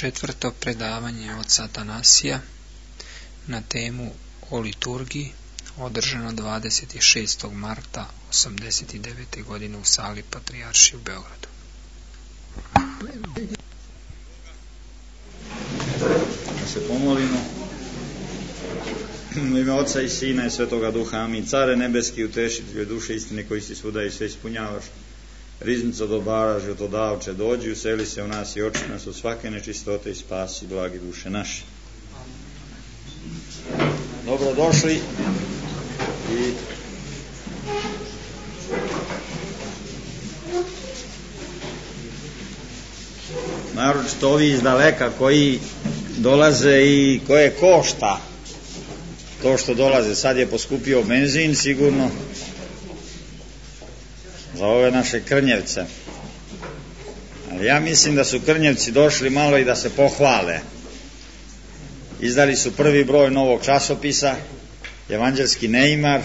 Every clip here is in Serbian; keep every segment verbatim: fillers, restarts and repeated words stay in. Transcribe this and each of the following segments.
Četvrto predavanje oca Atanasija na temu o liturgiji, održano dvadeset šestog marta osamdeset devete. godine u sali Patrijaršije u Beogradu. Da se pomolimo. U ime Oca i Sina i Svetoga Duha, amin. Care nebeski, utešitelju duše istine koji si svuda i sve ispunjavaš, riznico dobara, životodavče, dođi, useli se u nas i oči nas od svake nečistote i spasi blagi duše naše. Dobrodošli i naročito ovi iz daleka koji dolaze i koje košta to što dolaze. Sad je poskupio benzin sigurno za ove naše Krnjevce, ali ja mislim da su Krnjevci došli malo i da se pohvale. Izdali su prvi broj novog časopisa, Evanđelski neimar,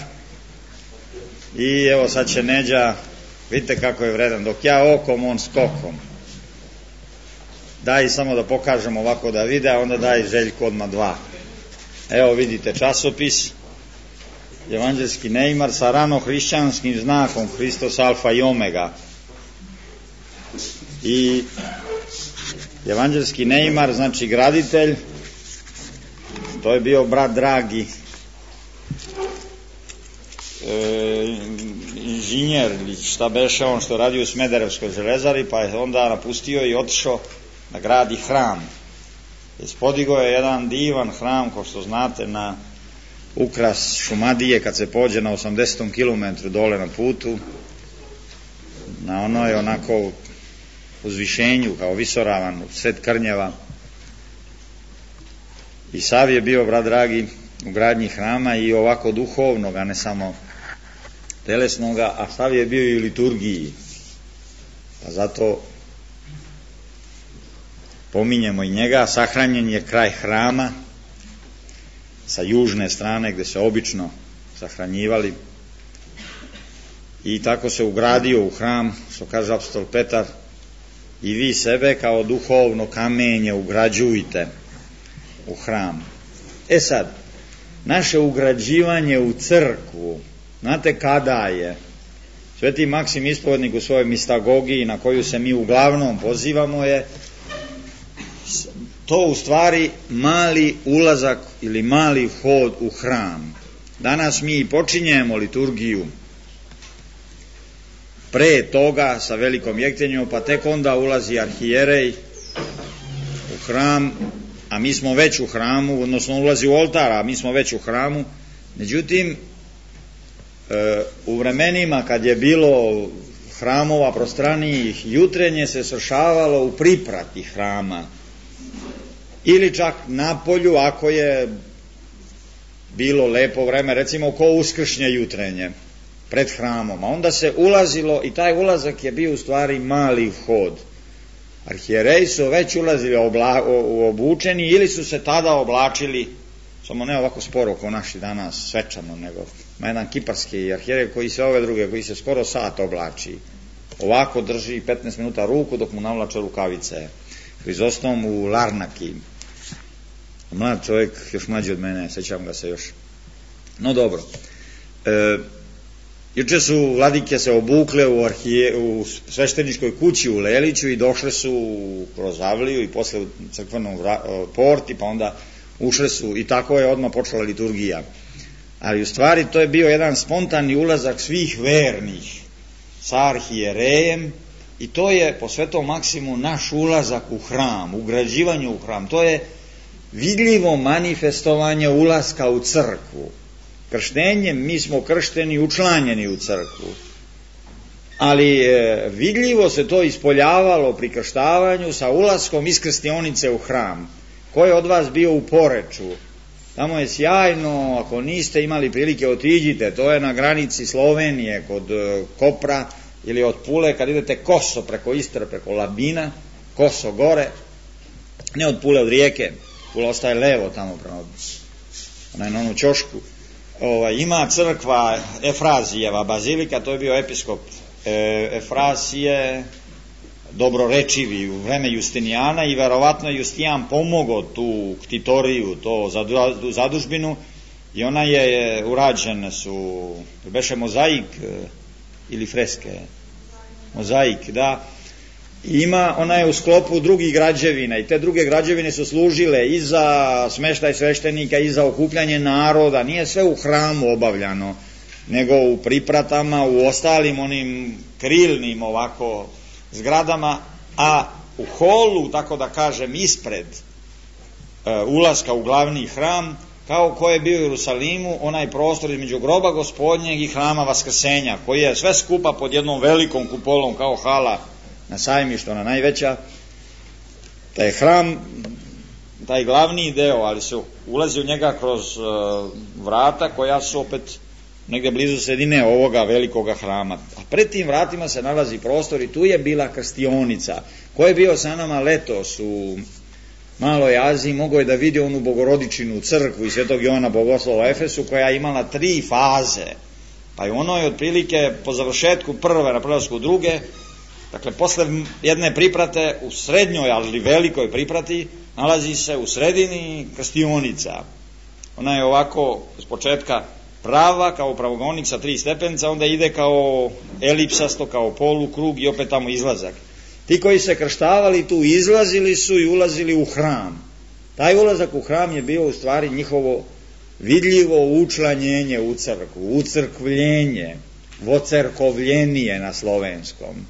i evo sad će Neđa, vidite kako je vredan, dok ja okom, on skokom. Daj samo da pokažem ovako da vide, a onda daj Željko odmah dva. Evo vidite časopis, Evanđelski neimar sa rano hrišćanskim znakom Hristos alfa i omega. I Evanđelski neimar znači graditelj, to je bio brat Dragi, e, inženjer ili šta beše on što radi u Smederevskoj železari, pa je onda napustio i otišao da gradi hram. Podigao je jedan divan hram, kao što znate, na ukras Šumadije, kad se pođe na osamdesetom kilometru dole na putu, na onoj onako uzvišenju kao visoravan sred Krnjeva. I sav je bio, brat dragi, u gradnji hrama i ovako duhovnog, a ne samo telesnoga, a sav je bio i u liturgiji. Pa zato pominjemo i njega. Sahranjen je kraj hrama sa južne strane gde se obično sahranjivali, i tako se ugradio u hram, što kaže apostol Petar, i vi sebe kao duhovno kamenje ugrađujte u hram. E sad, naše ugrađivanje u crkvu, znate kada je? Sveti Maksim Ispovednik u svojoj mistagogiji, na koju se mi uglavnom pozivamo, je to u stvari mali ulazak ili mali vhod u hram. Danas mi počinjemo liturgiju pre toga sa velikom jektenjom, pa tek onda ulazi arhijerej u hram, a mi smo već u hramu, odnosno ulazi u oltar, a mi smo već u hramu. Međutim, u vremenima kad je bilo hramova prostranijih, jutrenje se svršavalo u priprati hrama, ili čak na polju ako je bilo lepo vreme, recimo ko uskršnje jutrenje pred hramom, a onda se ulazilo i taj ulazak je bio u stvari mali vhod. Arhijereji su već ulazili obla, o, obučeni ili su se tada oblačili, samo ne ovako sporo kao naši danas, svečano, nego ima jedan kiparski arhijerej koji se ove druge, koji se skoro sat oblači, ovako drži petnaest minuta ruku dok mu navlače rukavice. Hrizostom u Larnaki, mlad čovjek, još mlađi od mene, sećam ga se još. No dobro, e, juče su vladike se obukle u, arhije, u svešteničkoj kući u Leliću i došle su kroz avliju i posle u crkvenom porti, pa onda ušle su i tako je odmah počela liturgija. Ali u stvari to je bio jedan spontani ulazak svih vernih sa arhijerejem, i to je po Svetom Maksimu naš ulazak u hram, ugrađivanje u hram. To je vidljivo manifestovanje ulaska u crkvu. Krštenjem mi smo kršteni, učlanjeni u crkvu, ali e, vidljivo se to ispoljavalo pri krštavanju sa ulaskom iz krstionice u hram. Ko je od vas bio u Poreču? Tamo je sjajno, ako niste imali prilike, otiđite, to je na granici Slovenije kod e, Kopra, ili od Pule, kad idete koso preko Istre, preko Labina, koso gore, ne od Pule, od rijeke, Pula ostaje levo tamo prema onaj na onu ćošku. Ovaj, ima crkva Efrazijeva bazilika, to je bio episkop e, Efrazije, dobrorečivi u vreme Justinijana i verovatno Justijan pomogao tu ktitoriju, to zadužbinu, i ona je urađena su, beše mozaik ili freske, mozaik, da, i ima, ona je u sklopu drugih građevina i te druge građevine su služile i za smeštaj sveštenika i za okupljanje naroda, nije sve u hramu obavljano, nego u pripratama, u ostalim onim krilnim ovako zgradama, a u holu, tako da kažem, ispred e, ulaska u glavni hram, kao ko je bio u Jerusalimu, onaj prostor između groba Gospodnjeg i hrama Vaskrsenja, koji je sve skupa pod jednom velikom kupolom, kao hala na Sajmištu, ona najveća. Taj hram, taj glavni deo, ali se ulazi u njega kroz e, vrata koja su opet negde blizu sredine ovoga velikoga hrama. A pred tim vratima se nalazi prostor i tu je bila krstionica. Ko je bio sa nama letos u Maloj Aziji, mogao je da vidi onu Bogorodičinu crkvu i Svetog Jovana Bogoslova u Efesu, koja je imala tri faze. Pa je ono je otprilike po završetku prve na prelasku druge, dakle posle jedne priprate u srednjoj, ali velikoj priprati, nalazi se u sredini krstionica. Ona je ovako s početka prava, kao pravogonik sa tri stepenca, onda ide kao elipsasto, kao polukrug i opet tamo izlazak. Ti koji se krštavali tu izlazili su i ulazili u hram. Taj ulazak u hram je bio u stvari njihovo vidljivo učlanjenje u crkvu, ucrkvljenje, vocerkovljenije na slovenskom.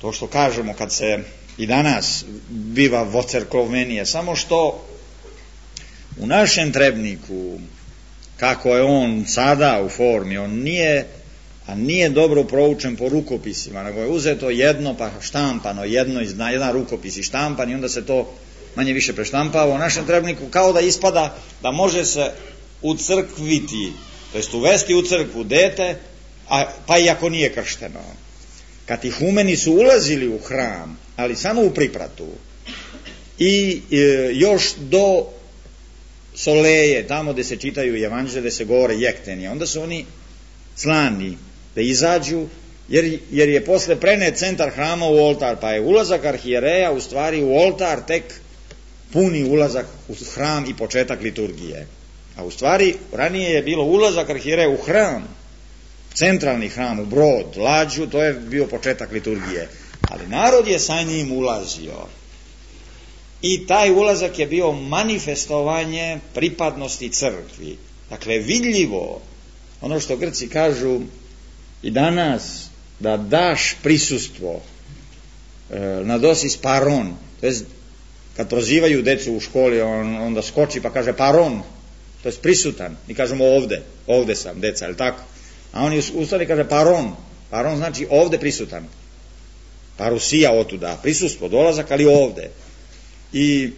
To što kažemo kad se i danas biva vocerkovljenije, samo što u našem trebniku, kako je on sada u formi, on nije, a nije dobro proučen po rukopisima, nego je uzeto jedno pa štampano, jedno, jedan rukopis i štampan i onda se to manje više preštampava. U našem trebniku kao da ispada da može se ucrkviti, to jest uvesti u crkvu dete, a, pa i ako nije kršteno. Katihumeni su ulazili u hram, ali samo u pripratu i e, još do soleje, tamo gde se čitaju evanđelje, gde se govore jekteni, onda su oni slani da izađu, jer, jer je posle prenet centar hrama u oltar, pa je ulazak arhijereja u stvari u oltar tek puni ulazak u hram i početak liturgije. A u stvari ranije je bilo ulazak arhijereja u hram, centralni hram, u brod, lađu, to je bio početak liturgije. Ali narod je sa njim ulazio. I taj ulazak je bio manifestovanje pripadnosti crkvi. Dakle, vidljivo, ono što Grci kažu i danas, da daš prisustvo, e, nadosis paron, to je kad prozivaju decu u školi, on, onda skoči pa kaže paron, to je prisutan, mi kažemo ovde, ovde sam, deca, je li tako? A oni ustali kaže paron, paron znači ovde prisutan, parusija otuda, prisustvo, dolazak, ali ovde. I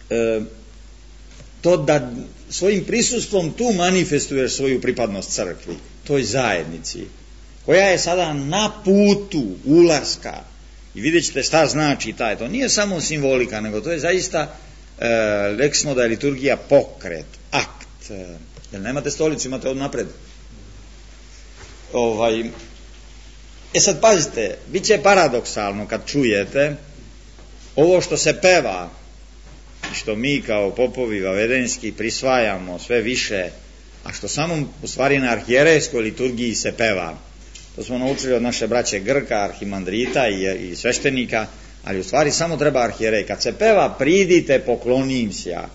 e, to da svojim prisustvom tu manifestuješ svoju pripadnost crkvi, toj zajednici, koja je sada na putu ulaska. I vidjet ćete šta znači taj, to nije samo simbolika, nego to je zaista, e, rekli smo da je liturgija pokret, akt. E, jer nemate stolicu, imate od napred. Ovaj, e sad pazite, bit će paradoksalno kad čujete ovo što se peva, što mi kao popovi vavedenski prisvajamo sve više, a što samo u stvari na arhijerejskoj liturgiji se peva. To smo naučili od naše braće Grka, arhimandrita i, i sveštenika, ali u stvari samo treba arhijerej. Kad se peva pridite poklonim se ja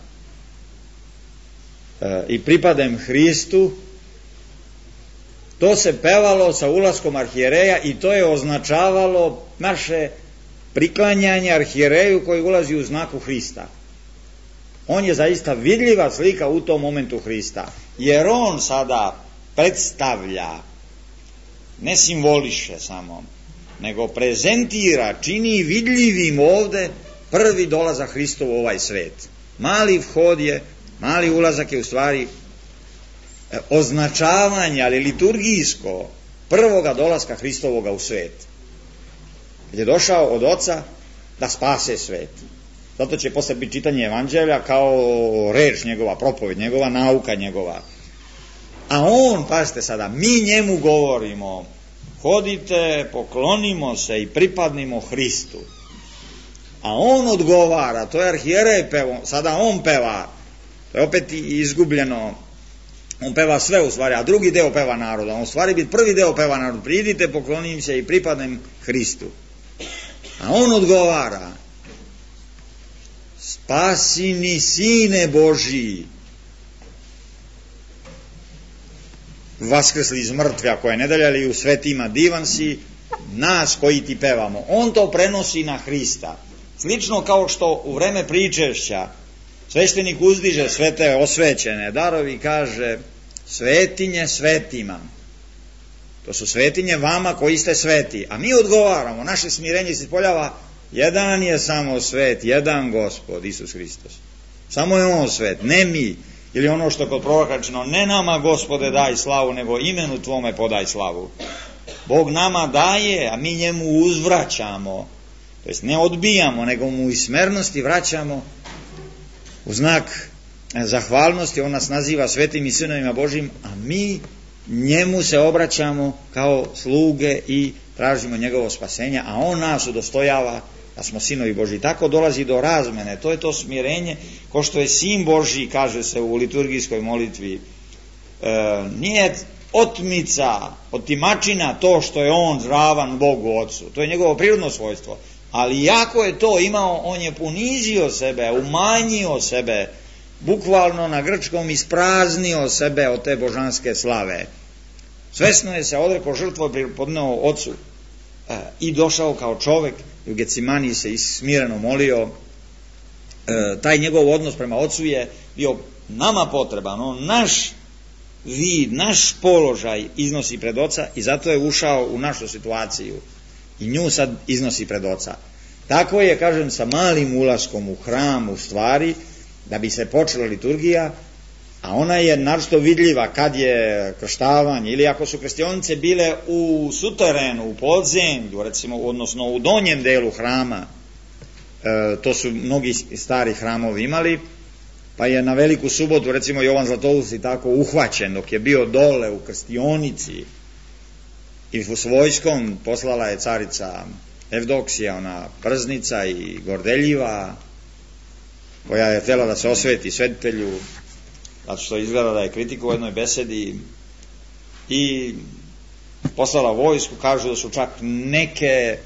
e, i pripadem Hristu, to se pevalo sa ulaskom arhijereja i to je označavalo naše priklanjanje arhijereju koji ulazi u znaku Hrista. On je zaista vidljiva slika u tom momentu Hrista, jer on sada predstavlja, ne simboliše samo, nego prezentira, čini vidljivim ovde prvi dolazak Hristov u ovaj svet. Mali vhod je, mali ulazak je u stvari označavanje, ali liturgijsko, prvoga dolaska Hristovoga u svet. Je došao od Oca da spase svet. Zato će posle biti čitanje evanđelja kao reč njegova, propoved njegova, nauka njegova. A on, pazite sada, mi njemu govorimo hodite, poklonimo se i pripadnimo Hristu. A on odgovara, to je arhijerej pevo, sada on peva, to je opet izgubljeno, on peva sve u stvari, a drugi deo peva naroda, on u stvari biti prvi deo peva narod, pridite, poklonim se i pripadnem Hristu. A on odgovara, spasini sine Božiji, vaskrsli iz mrtve, ako je nedelja, ili u svetima divan si, nas koji ti pevamo. On to prenosi na Hrista. Slično kao što u vreme pričešća sveštenik uzdiže sve te osvećene darovi i kaže svetinje svetima. To su svetinje vama koji ste sveti. A mi odgovaramo, naše smirenje se ispoljava, jedan je samo svet, jedan Gospod, Isus Hristos. Samo je on svet, ne mi. Ili ono što je kod proroka rečeno, ne nama Gospode daj slavu, nego imenu tvome podaj slavu. Bog nama daje, a mi njemu uzvraćamo. To jest ne odbijamo, nego mu iz smernosti vraćamo u znak zahvalnosti. On nas naziva svetim i sinovima Božim, a mi njemu se obraćamo kao sluge i tražimo njegovo spasenje, a on nas udostojava da smo sinovi Božji. Tako dolazi do razmene, to je to smirenje, ko što je sin Božji, kaže se u liturgijskoj molitvi, e, nije otmica, otimačina to što je on ravan Bogu Otcu, to je njegovo prirodno svojstvo, ali jako je to imao, on je ponizio sebe, umanjio sebe, bukvalno na grčkom ispraznio sebe od te božanske slave. Svesno je se odrekao žrtvu i podneo Otcu e, i došao kao čovek, u Gecimani se smireno molio. E, taj njegov odnos prema Otcu je bio nama potreban, on naš vid, naš položaj iznosi pred Oca i zato je ušao u našu situaciju i nju sad iznosi pred Oca. Tako je, kažem, sa malim ulaskom u hram, u stvari, da bi se počela liturgija, a ona je naročito vidljiva kad je krštavanje, ili ako su krstionice bile u suterenu, u podzemlju, recimo, odnosno u donjem delu hrama, e, to su mnogi stari hramovi imali, pa je na Veliku subotu, recimo, Jovan Zlatoust tako uhvaćen, dok je bio dole u krstionici i s vojskom poslala je carica Evdoksija, ona prznica i gordeljiva, koja je htjela da se osveti svetitelju, zato što izgleda da je kritiku u jednoj besedi, i poslala vojsku, kažu da su čak neke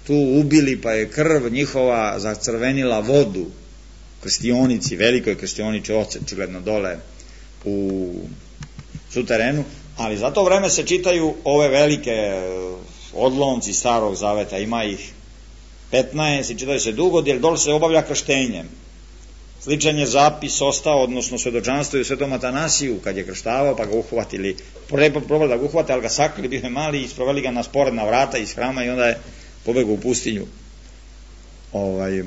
tu ubili, pa je krv njihova zacrvenila vodu krstionici, velikoj krstionici, očigledno dole u suterenu, ali za to vreme se čitaju ove velike odlomci Starog Zaveta, ima ih petnaest i čitaju se dugo, jer dole se obavlja krštenjem. Sličan je zapis ostao, odnosno svedočanstvo i u Svetom Atanasiju, kad je krštavao, pa ga uhvatili, probali da ga uhvate, ali ga sakrili, bio je mali, i sproveli ga na sporedna vrata iz hrama i onda je pobegao u pustinju. Ovaj, e,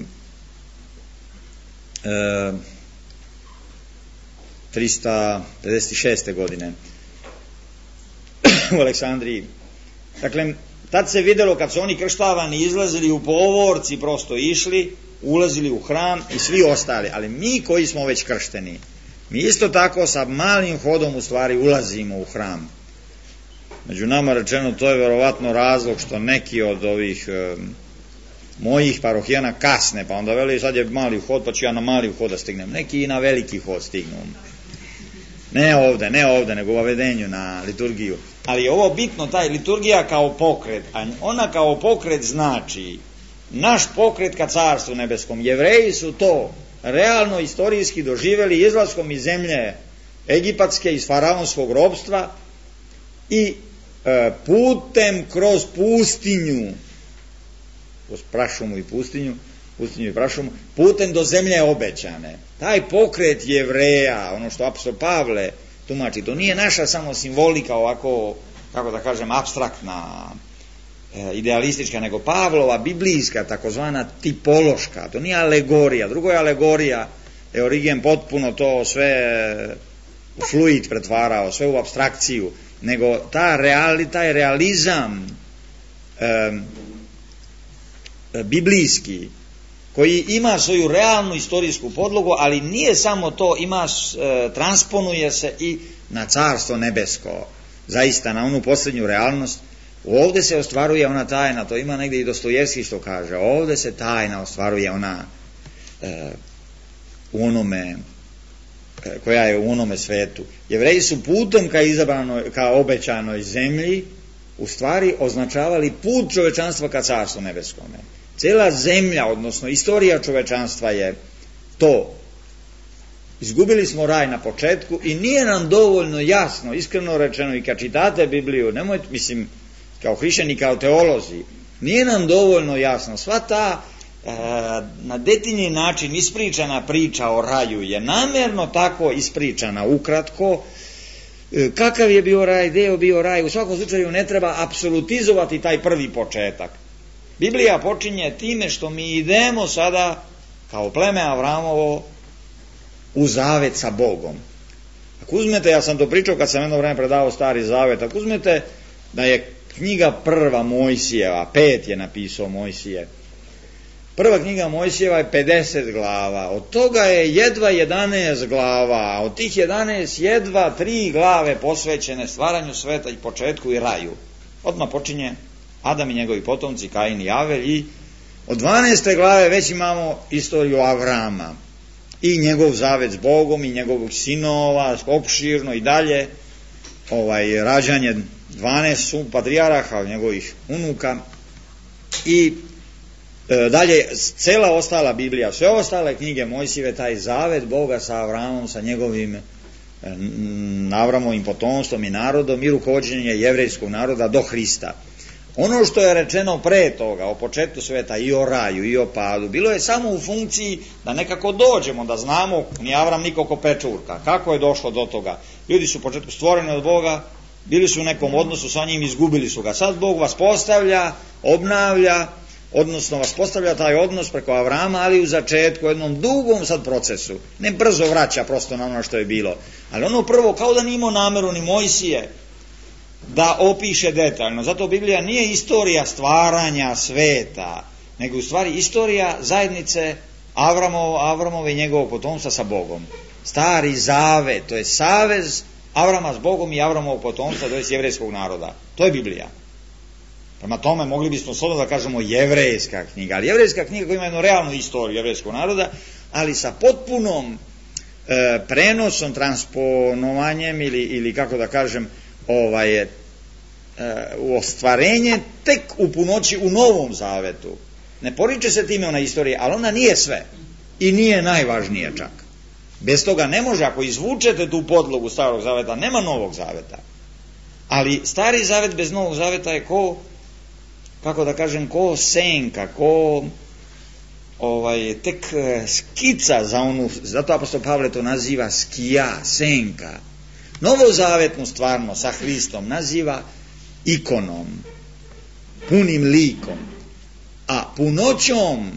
trista pedeset šeste. godine u Aleksandriji. Dakle, tad se videlo kad su oni krštavani izlazili u povorci, prosto išli, ulazili u hram i svi ostali, ali mi koji smo već kršteni, mi isto tako sa malim hodom u stvari ulazimo u hram. Među nama rečeno, to je verovatno razlog što neki od ovih e, mojih parohijana kasne, pa onda veli sad je mali hod, pa ću ja na mali hod da stignem. Neki i na veliki hod stignu. Ne ovde, ne ovde, nego u avedenju na liturgiju. Ali je ovo bitno, taj liturgija kao pokret, a ona kao pokret znači naš pokret ka Carstvu nebeskom. Jevreji su to realno istorijski doživeli izlaskom iz zemlje egipatske, iz faraonskog ropstva i e, putem kroz pustinju, kroz prašumu i pustinju, pustinju i prašumu, putem do zemlje obećane. Taj pokret Jevreja, ono što apostol Pavle tumači, to nije naša samo simbolika ovako, kako da kažem, apstraktna, idealistička, nego Pavlova, biblijska, takozvana tipološka. To nije alegorija. Drugo je alegorija, je Origen potpuno to sve u fluid pretvarao, sve u apstrakciju, nego ta reali, taj realizam e, biblijski, koji ima svoju realnu istorijsku podlogu, ali nije samo to, ima, e, transponuje se i na Carstvo nebesko, zaista na onu posljednju realnost Ovde se ostvaruje ona tajna, to ima negdje i Dostojevski što kaže, ovde se tajna ostvaruje ona e, u onome e, koja je u onome svetu. Jevreji su putom ka izabranoj, ka obećanoj zemlji u stvari označavali put čovečanstva ka carstvu nebeskome. Cela zemlja, odnosno istorija čovečanstva je to. Izgubili smo raj na početku i nije nam dovoljno jasno, iskreno rečeno, i kad čitate Bibliju, nemojte, mislim, kao hrišćani, kao teolozi, nije nam dovoljno jasno. Sva ta e, na detaljni način ispričana priča o raju je namjerno tako ispričana, ukratko, e, kakav je bio raj, gde je bio raj. U svakom slučaju ne treba apsolutizovati taj prvi početak. Biblija počinje time što mi idemo sada kao pleme Avramovo u zavet sa Bogom. Ako uzmete, ja sam to pričao kad sam jedno vreme predavao Stari zavet, ako uzmete da je knjiga prva Mojsijeva, pet je napisao Mojsije, prva knjiga Mojsijeva je pedeset glava, od toga je jedva jedanaest glava, a od tih jedanaest jedva tri glave posvećene stvaranju sveta i početku i raju. Odmah počinje Adam i njegovi potomci, Kain i Avel, i od dvanaeste glave već imamo istoriju Avrama i njegov zavet s Bogom i njegovog sinova, opširno i dalje, ovaj, rađanje dvanaest patrijaraha, njegovih unuka i e, dalje cela ostala Biblija, sve ostale knjige Mojsijeve, taj zavet Boga sa Avramom, sa njegovim e, Avramovim potomstvom i narodom i rukovođenje jevrejskog naroda do Hrista. Ono što je rečeno pre toga, o početku sveta i o raju i o padu, bilo je samo u funkciji da nekako dođemo, da znamo, ni Avram niko ko pečurka, kako je došlo do toga. Ljudi su u početku stvoreni od Boga, bili su u nekom odnosu sa njim, izgubili su ga. Sad Bog vas postavlja, obnavlja, odnosno vas postavlja taj odnos preko Avrama, ali u začetku, u jednom dugom sad procesu. Ne brzo vraća prosto na ono što je bilo. Ali ono prvo, kao da nije imao nameru ni Mojsije da opiše detaljno. Zato Biblija nije istorija stvaranja sveta, nego u stvari istorija zajednice Avramov, Avramove i njegovog potomstva sa Bogom. Stari zavet, to je savez Avrama s Bogom i Avramovog potomstva, to je jevrejskog naroda. To je Biblija. Prema tome mogli bismo slobodno da kažemo jevrejska knjiga, ali jevrejska knjiga koja ima jednu realnu istoriju jevrejskog naroda, ali sa potpunom e, prenosom, transponovanjem ili, ili kako da kažem, ovaj, e, u ostvarenje tek u punoći u Novom zavetu. Ne poriče se time ona istorija, ali ona nije sve i nije najvažnije čak. Bez toga ne može, ako izvučete tu podlogu Starog zaveta, nema Novog zaveta. Ali Stari zavet bez Novog zaveta je ko, kako da kažem, ko senka, ko ovaj, tek skica za onu, zato apostol Pavle to naziva skija, senka. Novozavetnu stvarno sa Hristom naziva ikonom, punim likom, a punoćom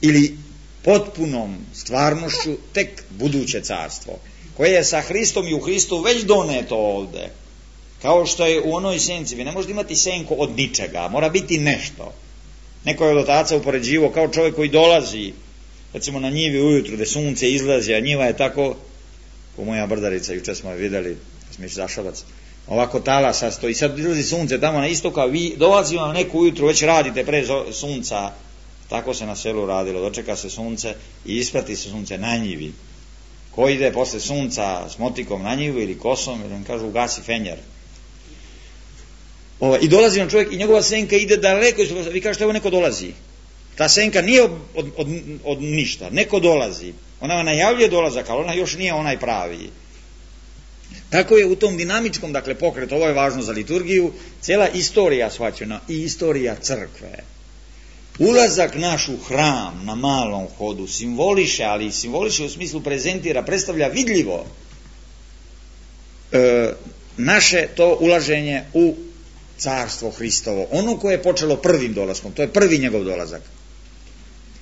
ili potpunom stvarnošću tek buduće carstvo, koje je sa Hristom i u Hristu već doneto ovde. Kao što je u onoj senci, vi ne možete imati senku od ničega, mora biti nešto. Neko je od otaca upoređivo kao čovjek koji dolazi, recimo na njivi ujutru gde sunce izlazi, a njiva je tako, ko moja brdarica, juče smo je videli, smiš zašavac, ovako talasa stoji, sad izlazi sunce tamo na istoka, vi dolazi vam neko ujutru, već radite pre sunca. Tako se na selu radilo, dočeka se sunce i isprati se sunce na njivi. Ko ide posle sunca s motikom na njivu ili kosom, ili vam kažu ugasi fenjer. O, I dolazi nam čovjek i njegova senka ide daleko, vi kažete evo neko dolazi. Ta senka nije od, od, od, od ništa, neko dolazi. Ona vam najavljuje dolazak, ali ona još nije onaj pravi. Tako je u tom dinamičkom, dakle, pokretu, ovo je važno za liturgiju, cijela istorija shvaćena i istorija crkve. Ulazak naš u hram na malom hodu simboliše, ali simboliše u smislu prezentira, predstavlja vidljivo e, naše to ulaženje u carstvo Hristovo, ono koje je počelo prvim dolaskom, to je prvi njegov dolazak.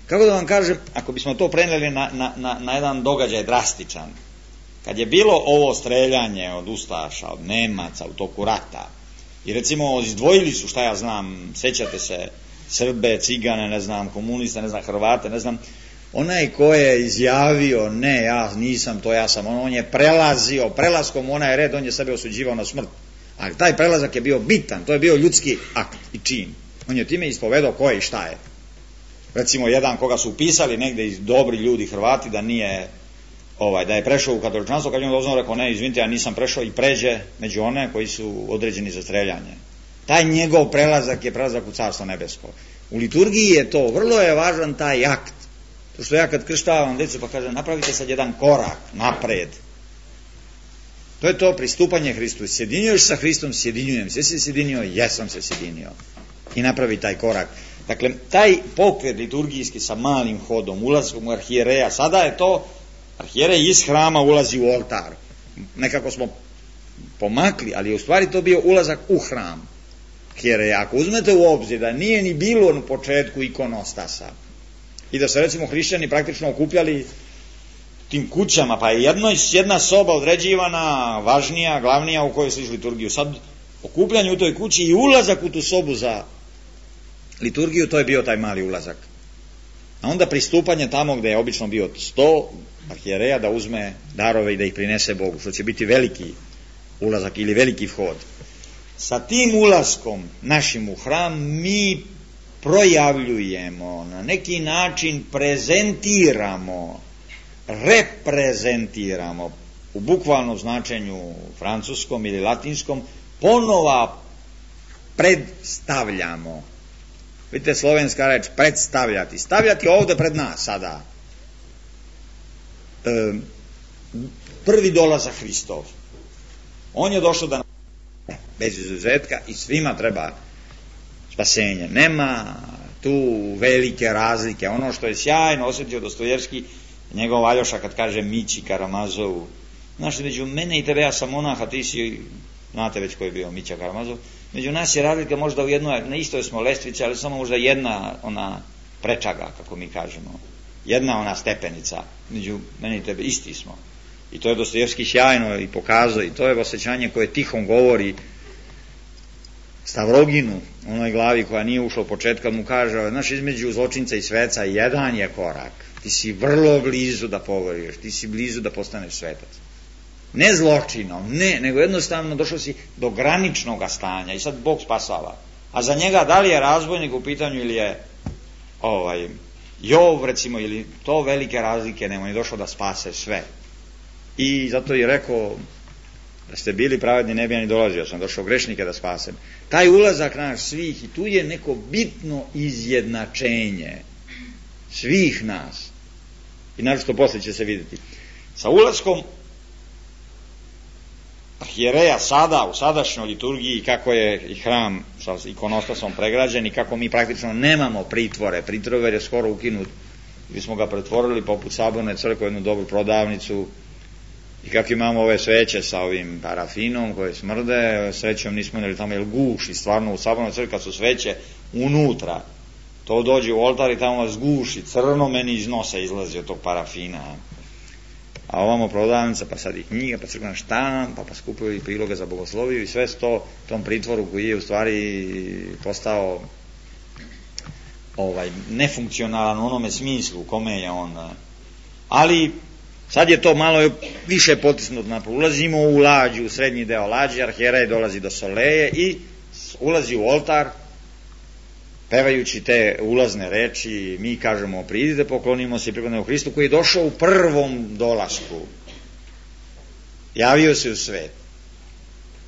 Kako da vam kažem, ako bismo to preneli na, na, na, na jedan događaj drastičan, kad je bilo ovo streljanje od ustaša, od Nemaca u toku rata, i recimo izdvojili su, šta ja znam, sećate se, Srbe, Cigane, ne znam, komuniste, ne znam, Hrvate, ne znam, onaj ko je izjavio, ne, ja nisam to, ja sam, on, on je prelazio, prelaskom onaj red, on je sebe osuđivao na smrt, Ali taj prelazak je bio bitan, to je bio ljudski akt i čin. On je time ispovedao ko je i šta je. Recimo jedan koga su upisali negde iz dobri ljudi Hrvati da nije ovaj, da je prešao u katoličanstvo, kad je on doznao rekao ne, izvinite, ja nisam prešao i pređe među one koji su određeni za streljanje. Taj njegov prelazak je prelazak u Carstvo nebesko. U liturgiji je to, vrlo je važan taj akt. To što ja kad krštavam decu pa kažem napravite sad jedan korak napred. To je to pristupanje Hristu. Sjedinjuješ sa Hristom, sjedinjujem se. Jesi se sjedinio? Jesam se sjedinio. I napravi taj korak. Dakle, taj pokret liturgijski sa malim hodom, ulazkom u arhijereja, sada je to, arhijerej iz hrama ulazi u oltar. Nekako smo pomakli, ali je u stvari to bio ulazak u hram. Arhijereja, ako uzmete u obzir da nije ni bilo na početku ikonostasa i da se recimo hrišćani praktično okupljali tim kućama, pa je jedno, jedna soba određivana, važnija, glavnija u kojoj sliči liturgiju. Sad, okupljanje u toj kući i ulazak u tu sobu za liturgiju, to je bio taj mali ulazak. A onda pristupanje tamo gde je obično bio sto arhijereja da uzme darove i da ih prinese Bogu, što će biti veliki ulazak ili veliki vhod. Sa tim ulaskom našim u hram mi projavljujemo, na neki način prezentiramo, reprezentiramo, u bukvalnom značenju francuskom ili latinskom, ponova predstavljamo. Vidite, slovenska reč predstavljati. Stavljati ovde pred nas sada. E, prvi dolazak Hristov. On je došao da bez izuzetka i svima treba spasenje. Nema tu velike razlike. Ono što je sjajno osjetio Dostojevski, njegov Aljoša kad kaže Mići Karamazovu, znaš, među mene i tebe, ja sam monah, a ti si, znate već ko je bio Mića Karamazov, među nas je razlika možda u jednoj, na istoj smo lestvici, ali samo možda jedna ona prečaga, kako mi kažemo, jedna ona stepenica, među mene i tebe isti smo. I to je Dostojevski sjajno i pokazao, i to je osjećanje koje tihom govori Stavroginu, onoj glavi koja nije ušla u početka, mu kaže, znaš, između zločinca i sveca jedan je korak, ti si vrlo blizu da pogoriš, ti si blizu da postaneš svetac. Ne zločinom, ne, nego jednostavno došao si do graničnog stanja i sad Bog spasava. A za njega da li je razbojnik u pitanju ili je ovaj, Jov, recimo, ili to velike razlike nema, on je došao da spase sve. I zato je rekao, da ste bili pravedni ne bi ja ni dolazio, sam došao grešnike da spasem. Taj ulazak naš svih, i tu je neko bitno izjednačenje svih nas. I naročito posle će se vidjeti. Sa ulaskom arhijereja sada, u sadašnjoj liturgiji, kako je i hram sa ikonostasom pregrađen i kako mi praktično nemamo pritvore, pritvor je skoro ukinut, gdje smo ga pretvorili poput Saborne crkve, jednu dobru prodavnicu, i kako imamo ove sveće sa ovim parafinom koje smrde, srećom nismo imali tamo jer guši, stvarno u Sabornoj crkvi kad su sveće unutra, to dođe u oltar i tamo vas guši, crno meni iz nosa izlazi od tog parafina. A ovamo prodavnica, pa sad i knjiga, pa crkvena štampa, pa skupuju i priloge za bogosloviju i sve sto tom pritvoru koji je u stvari postao ovaj, nefunkcionalan u onome smislu u kome je on. Ali sad je to malo više potisnuto naprijed. Ulazimo u lađu, u srednji deo lađe, arhijerej dolazi do soleje i ulazi u oltar, pevajući te ulazne reči, mi kažemo pridite, poklonimo se i pripadnemo Hristu koji je došao u prvom dolasku. Javio se u svet.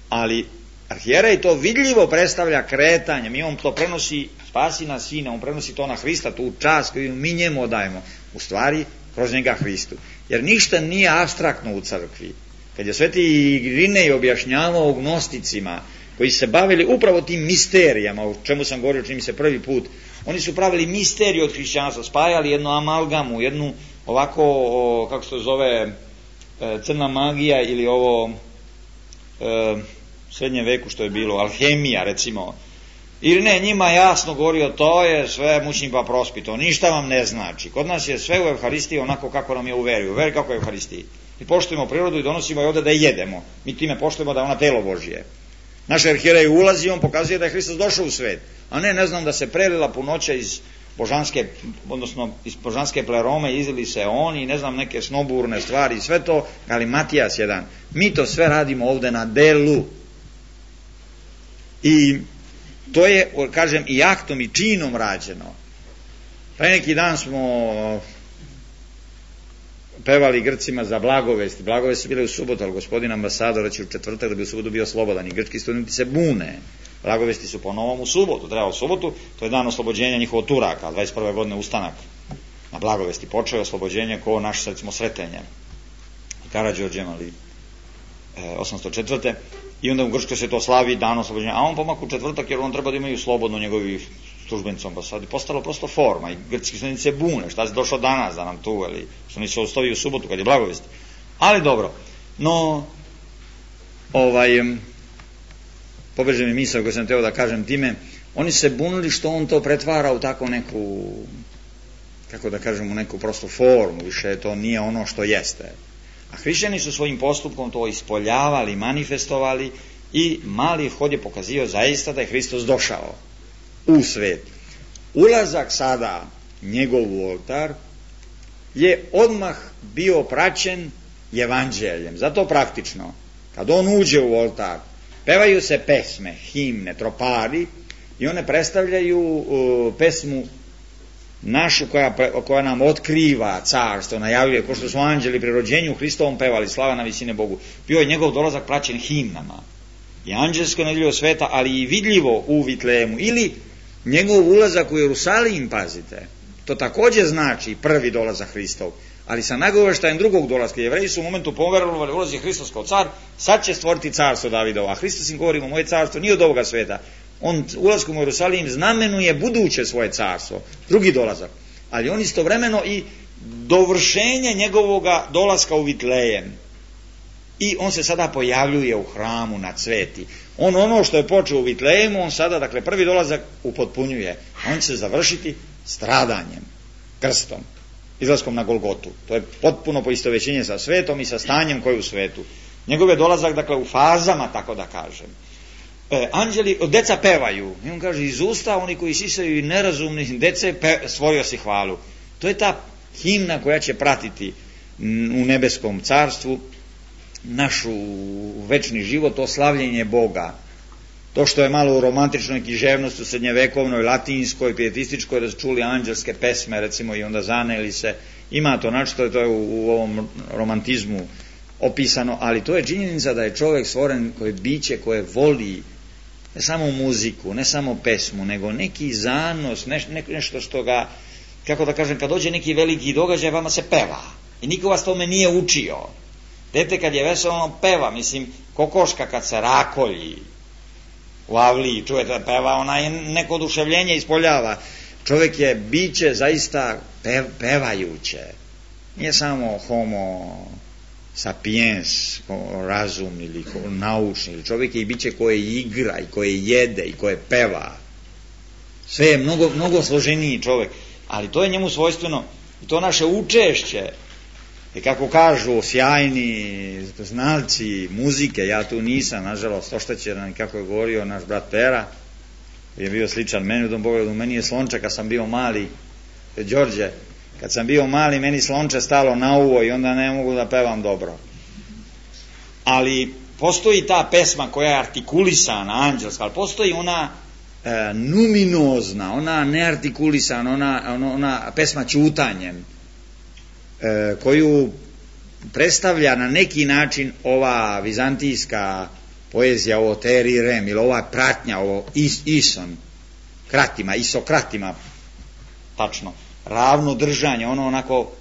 Ali arhijerej to vidljivo predstavlja kretanjem i on to prenosi, spasi na sina, on prenosi to na Hrista, tu čast koju mi njemu odajemo. U stvari, kroz njega Hristu. Jer ništa nije apstraktno u crkvi. Kad je sveti Irinej objašnjavao gnosticima koji se bavili upravo tim misterijama, o čemu sam govorio, čini mi se prvi put, oni su pravili misteriju od hrišćanstva, spajali jednu amalgamu, jednu ovako, o, kako se to zove, e, crna magija ili ovo e, srednjem veku što je bilo, alhemija recimo. Ili ne, njima jasno govorio, to je sve mučni pa prospito, ništa vam ne znači. Kod nas je sve u Evharistiji onako kako nam je u veri, u veri kako je u Evharistiji. I poštujemo prirodu i donosimo je ovde da je jedemo. Mi time poštujemo da je ona telo Božije. Naš arhijerej ulazi, on pokazuje da je Hristos došao u svet, a ne, ne znam, da se prelila punoća iz božanske, odnosno iz božanske plerome, izili se oni, ne znam, neke snoburne stvari, sve to, ali Matijas jedan. Mi to sve radimo ovde na delu. I to je, kažem, i aktom i činom rađeno. Pre neki dan smo pevali Grcima za blagovesti. Blagovesti su bile u subotu, ali gospodin ambasador će u četvrtak da bi u subotu bio slobodan i grčki studenti se bune. Blagovesti su po novom u subotu, treba u subotu, to je dan oslobođenja njihovog Turaka, dvadeset prve godine ustanak na blagovesti počeo oslobođenje ko naš, recimo, Sretenje Karađorđem, ali e, osamsto četvrte i onda u Grčkoj se to slavi dan oslobođenja, a on pomak u četvrtak jer on treba da imaju slobodno njegovi službenici ambasadi, postalo prosto forma i grčki studenti se bune, šta se došlo danas da nam tu, ali što nisu ostavi u subotu kad je blagovest. Ali dobro, no ovaj pobeže mi misao koju sam teo da kažem time, oni se bunili što on to pretvara u tako neku, kako da kažem, u neku prostu formu, više to nije ono što jeste. A hrišćani su svojim postupkom to ispoljavali, manifestovali i mali hod je pokazio zaista da je Hristos došao u svet. Ulazak sada njegov u oltar je odmah bio praćen evanđeljem. Zato praktično, kad on uđe u oltar, pevaju se pesme, himne, tropari i one predstavljaju uh, pesmu našu koja, koja nam otkriva carstvo, najavljuje, ko što su anđeli pri rođenju Hristovom pevali, slava na visine Bogu. Bio je njegov dolazak praćen himnama. I anđelsko nevidljivo sveta, ali i vidljivo u Vitlejemu. Ili njegov ulazak u Jerusalim, pazite, to takođe znači prvi dolazak Hristov, ali sa nagoveštajem drugog dolaska. Jevreji su u momentu poverovali, ulazi Hristos kao car, sad će stvoriti carstvo Davidovo, a Hristos im govori, moje carstvo nije od ovoga sveta. On ulaskom u Jerusalim znamenuje buduće svoje carstvo, drugi dolazak, ali on istovremeno i dovršenje njegovoga dolaska u Vitlejem. I on se sada pojavljuje u hramu na cveti. On ono što je počeo u Vitlejemu, on sada, dakle, prvi dolazak upotpunjuje. On će se završiti stradanjem, krstom, izlaskom na Golgotu. To je potpuno poistovećenje sa svetom i sa stanjem koje je u svetu. Njegov je dolazak, dakle, u fazama, tako da kažem. E, anđeli, deca pevaju. I on kaže, iz usta oni koji sisaju i nerazumni dece, pe, stvorio si hvalu. To je ta himna koja će pratiti u nebeskom carstvu našu večni život, to slavljenje Boga. To što je malo u romantičnoj književnosti, u srednjevekovnoj, latinskoj, pietističkoj, da su čuli anđelske pesme, recimo, i onda zaneli se. Ima to, znači, to je u, u ovom romantizmu opisano, ali to je činjenica da je čovjek stvoren koje biće, koje voli ne samo muziku, ne samo pesmu, nego neki zanos, ne, ne, nešto što ga, kako da kažem, kad dođe neki veliki događaj, vama se peva. I niko vas tome nije učio. Dete kad je veselo, peva, mislim, kokoška kad se rakolji u avliji, čujete da peva, ona je neko oduševljenje ispoljava. Čovjek je biće zaista pev, pevajuće. Nije samo homo sapiens, razum ili naučni, ili čovjek je i biće koje igra i koje jede i koje peva. Sve je mnogo, mnogo složeniji čovjek, ali to je njemu svojstveno i to naše učešće. I kako kažu sjajni znalci muzike, ja tu nisam, nažalost, oštećen, kako je govorio naš brat Pera, je bio sličan meni u tom pogledu, meni je slonče kad sam bio mali, Đorđe, kad sam bio mali, meni slonče stalo na uvo i onda ne mogu da pevam dobro. Ali postoji ta pesma koja je artikulisana, anđelska, ali postoji ona e, numinozna, ona neartikulisana, ona, ona, ona pesma ćutanjem, e, koju predstavlja na neki način ova vizantijska poezija, ovo teri rem, ili ova pratnja, ovo is, ison, kratima, isokratima, tačno, ravno držanje, ono onako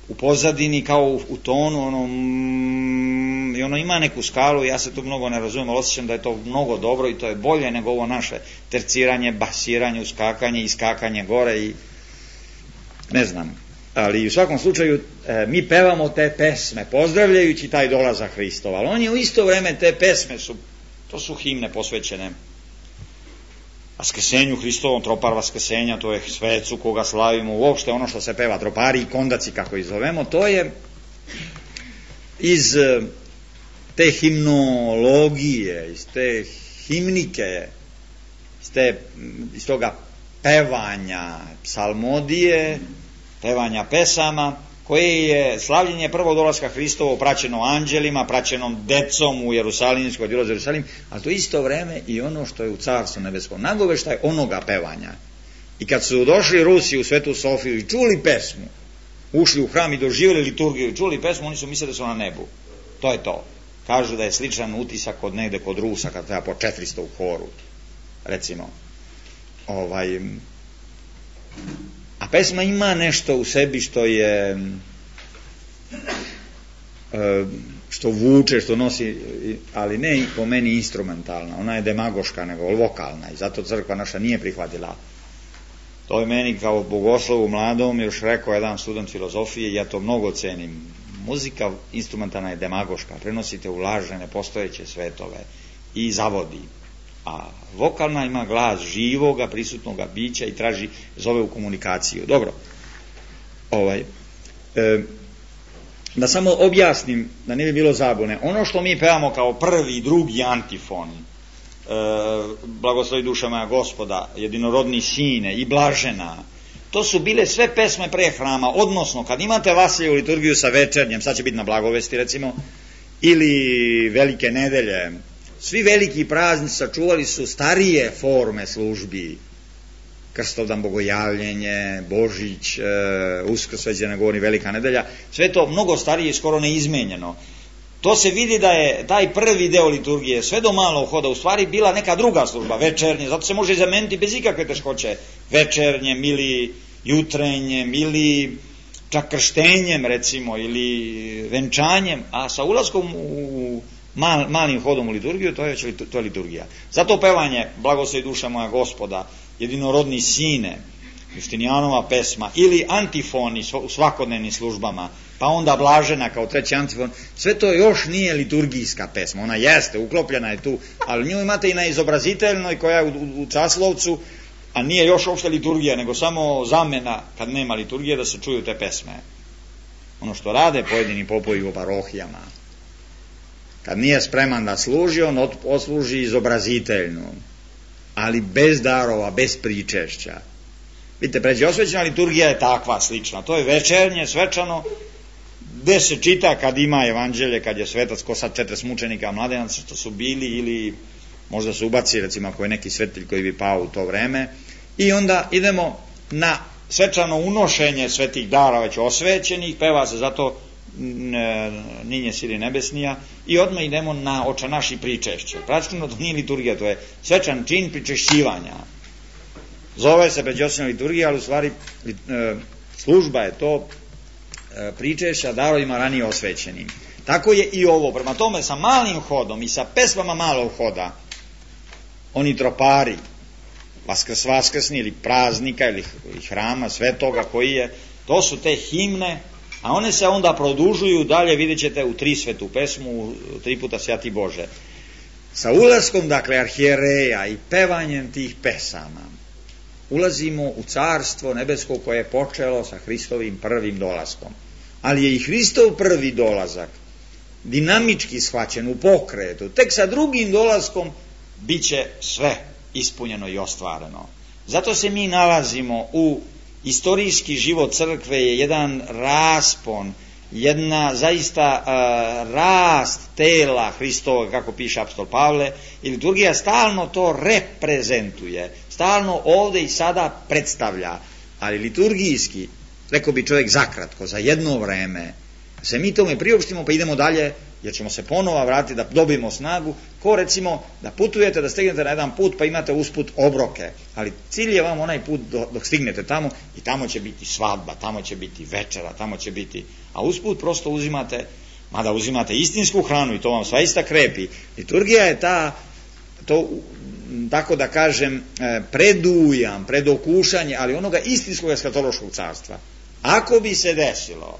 u pozadini kao u, u tonu, ono, mm, i ono ima neku skalu, ja se tu mnogo ne razumijem, ali osjećam da je to mnogo dobro i to je bolje nego ovo naše terciranje, basiranje, uskakanje, iskakanje gore i ne znam, ali u svakom slučaju e, mi pevamo te pesme pozdravljajući taj dolazak Hristova, ali on je u isto vreme, te pesme su, to su himne posvećene Vaskrsenju Hristovom, tropar Vaskrsenja, to je svecu koga slavimo, uopšte ono što se peva, tropari i kondaci kako ih zovemo, to je iz te himnologije, iz te himnike, iz, te, iz toga pevanja psalmodije, pevanja pesama koje je slavljenje prvog dolaska Hristovo praćeno anđelima, praćenom decom u Jerusalimskoj, dolaze u Jerusalim, a to isto vreme i ono što je u Carstvu nebeskom, nagoveštaj onoga pevanja. I kad su došli Rusi u Svetu Sofiju i čuli pesmu, ušli u hram i doživjeli liturgiju i čuli pesmu, oni su mislili da su na nebu. To je to. Kažu da je sličan utisak od negde kod Rusa, kad treba po četiristo u horu, recimo. Ovaj... A pesma ima nešto u sebi što je, što vuče, što nosi, ali ne po meni instrumentalna, ona je demagoška nego vokalna i zato crkva naša nije prihvatila. To je meni kao bogoslovu mladom još rekao jedan student filozofije i ja to mnogo cenim. Muzika instrumentalna je demagoška, prenosite u lažne nepostojeće svetove i zavodi. A vokalna ima glas živoga, prisutnoga bića i traži, zove u komunikaciju. Dobro, ovaj, e, da samo objasnim, da ne bi bilo zabune, ono što mi pevamo kao prvi i drugi antifon, e, blagoslovi duša moja Gospoda, jedinorodni sine i blažena, to su bile sve pesme pre hrama, odnosno kad imate Vasiljevu liturgiju sa večernjem, sad će biti na blagovesti recimo, ili velike nedelje, svi veliki praznici sačuvali su starije forme službi, Krstovdan, Bogojavljenje, Božić, e, Uskrs, već ne govori Velika nedelja, sve to mnogo starije i skoro neizmenjeno. To se vidi da je taj prvi deo liturgije sve do malog hoda u stvari bila neka druga služba, večernje, zato se može zameniti bez ikakve teškoće, večernjem ili jutrenjem ili čak krštenjem recimo ili venčanjem, a sa ulaskom u Mal, malim hodom u liturgiju, to je, to je liturgija. Zato pevanje blagoslovi duša moja Gospoda, jedinorodni sine, Justinijanova pesma, ili antifoni u svakodnevnim službama, pa onda blažena kao treći antifon, sve to još nije liturgijska pesma, ona jeste, uklopljena je tu, ali nju imate i na izobraziteljnoj koja je u, u, u Časlovcu, a nije još uopšte liturgija, nego samo zamena kad nema liturgije da se čuju te pesme. Ono što rade pojedini popovi u parohijama. Kad nije spreman da služi, on osluži izobraziteljnu, ali bez darova, bez pričešća. Vidite, pređeosvećena liturgija je takva slična, to je večernje, svečano, gde se čita kad ima evanđelje, kad je svetac, ko sad četres mučenika, mladenaca što su bili, ili možda se ubaci, recimo, ako je neki svetelj koji bi pao u to vreme, i onda idemo na svečano unošenje svetih dara već osvećenih, peva se zato Ninje sili nebesnija i odmah idemo na oča naši pričešće. Praktično to nije liturgija, to je svečan čin pričešćivanja. Zove se pređosvena liturgija, ali u stvari služba je to pričešća darovima ranije osvećenim. Tako je i ovo. Prema tome sa malim hodom i sa pesmama malog hoda oni tropari Vaskrs vaskrsni ili praznika ili hrama svetoga koji je, to su te himne, a one se onda produžuju dalje, vidjet ćete u tri svetu pesmu, u tri puta Svjati Bože. Sa ulaskom, dakle, arhijereja i pevanjem tih pesama ulazimo u carstvo nebesko koje je počelo sa Hristovim prvim dolaskom. Ali je i Hristov prvi dolazak dinamički shvaćen u pokretu. Tek sa drugim dolaskom bit će sve ispunjeno i ostvareno. Zato se mi nalazimo u istorijski život crkve je jedan raspon, jedna zaista uh, rast tela Hristova, kako piše apostol Pavle, i liturgija stalno to reprezentuje, stalno ovde i sada predstavlja, ali liturgijski, rekao bi čovjek zakratko, za jedno vreme, se mi tome priopštimo pa idemo dalje, jer ćemo se ponova vratiti da dobijemo snagu, ko recimo da putujete, da stignete na jedan put pa imate usput obroke, ali cilj je vam onaj put dok stignete tamo i tamo će biti svadba, tamo će biti večera, tamo će biti, a usput prosto uzimate, mada uzimate istinsku hranu i to vam svaista krepi. Liturgija je ta, to, tako da kažem, predujam, predokušanje, ali onoga istinskog eskatološkog carstva. Ako bi se desilo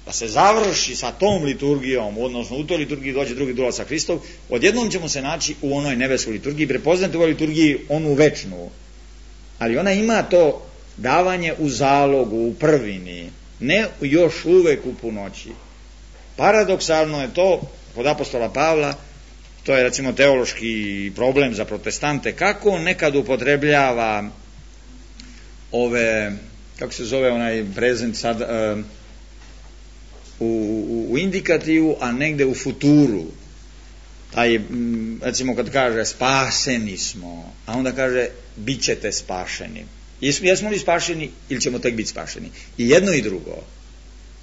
da se završi sa tom liturgijom, odnosno u toj liturgiji dođe drugi dolazak Hristov, odjednom ćemo se naći u onoj nebeskoj liturgiji, prepoznati u ovoj liturgiji onu večnu, ali ona ima to davanje u zalogu, u prvini, ne još uvek u punoći. Paradoksalno je to, kod apostola Pavla, to je recimo teološki problem za protestante, kako on nekad upotrebljava ove, kako se zove onaj prezent sad, uh, u, u, u indikativu, a negde u futuru. Taj, recimo kad kaže spaseni smo, a onda kaže bit ćete spašeni. Jesmo, jesmo li spašeni ili ćemo tek biti spašeni? I jedno i drugo.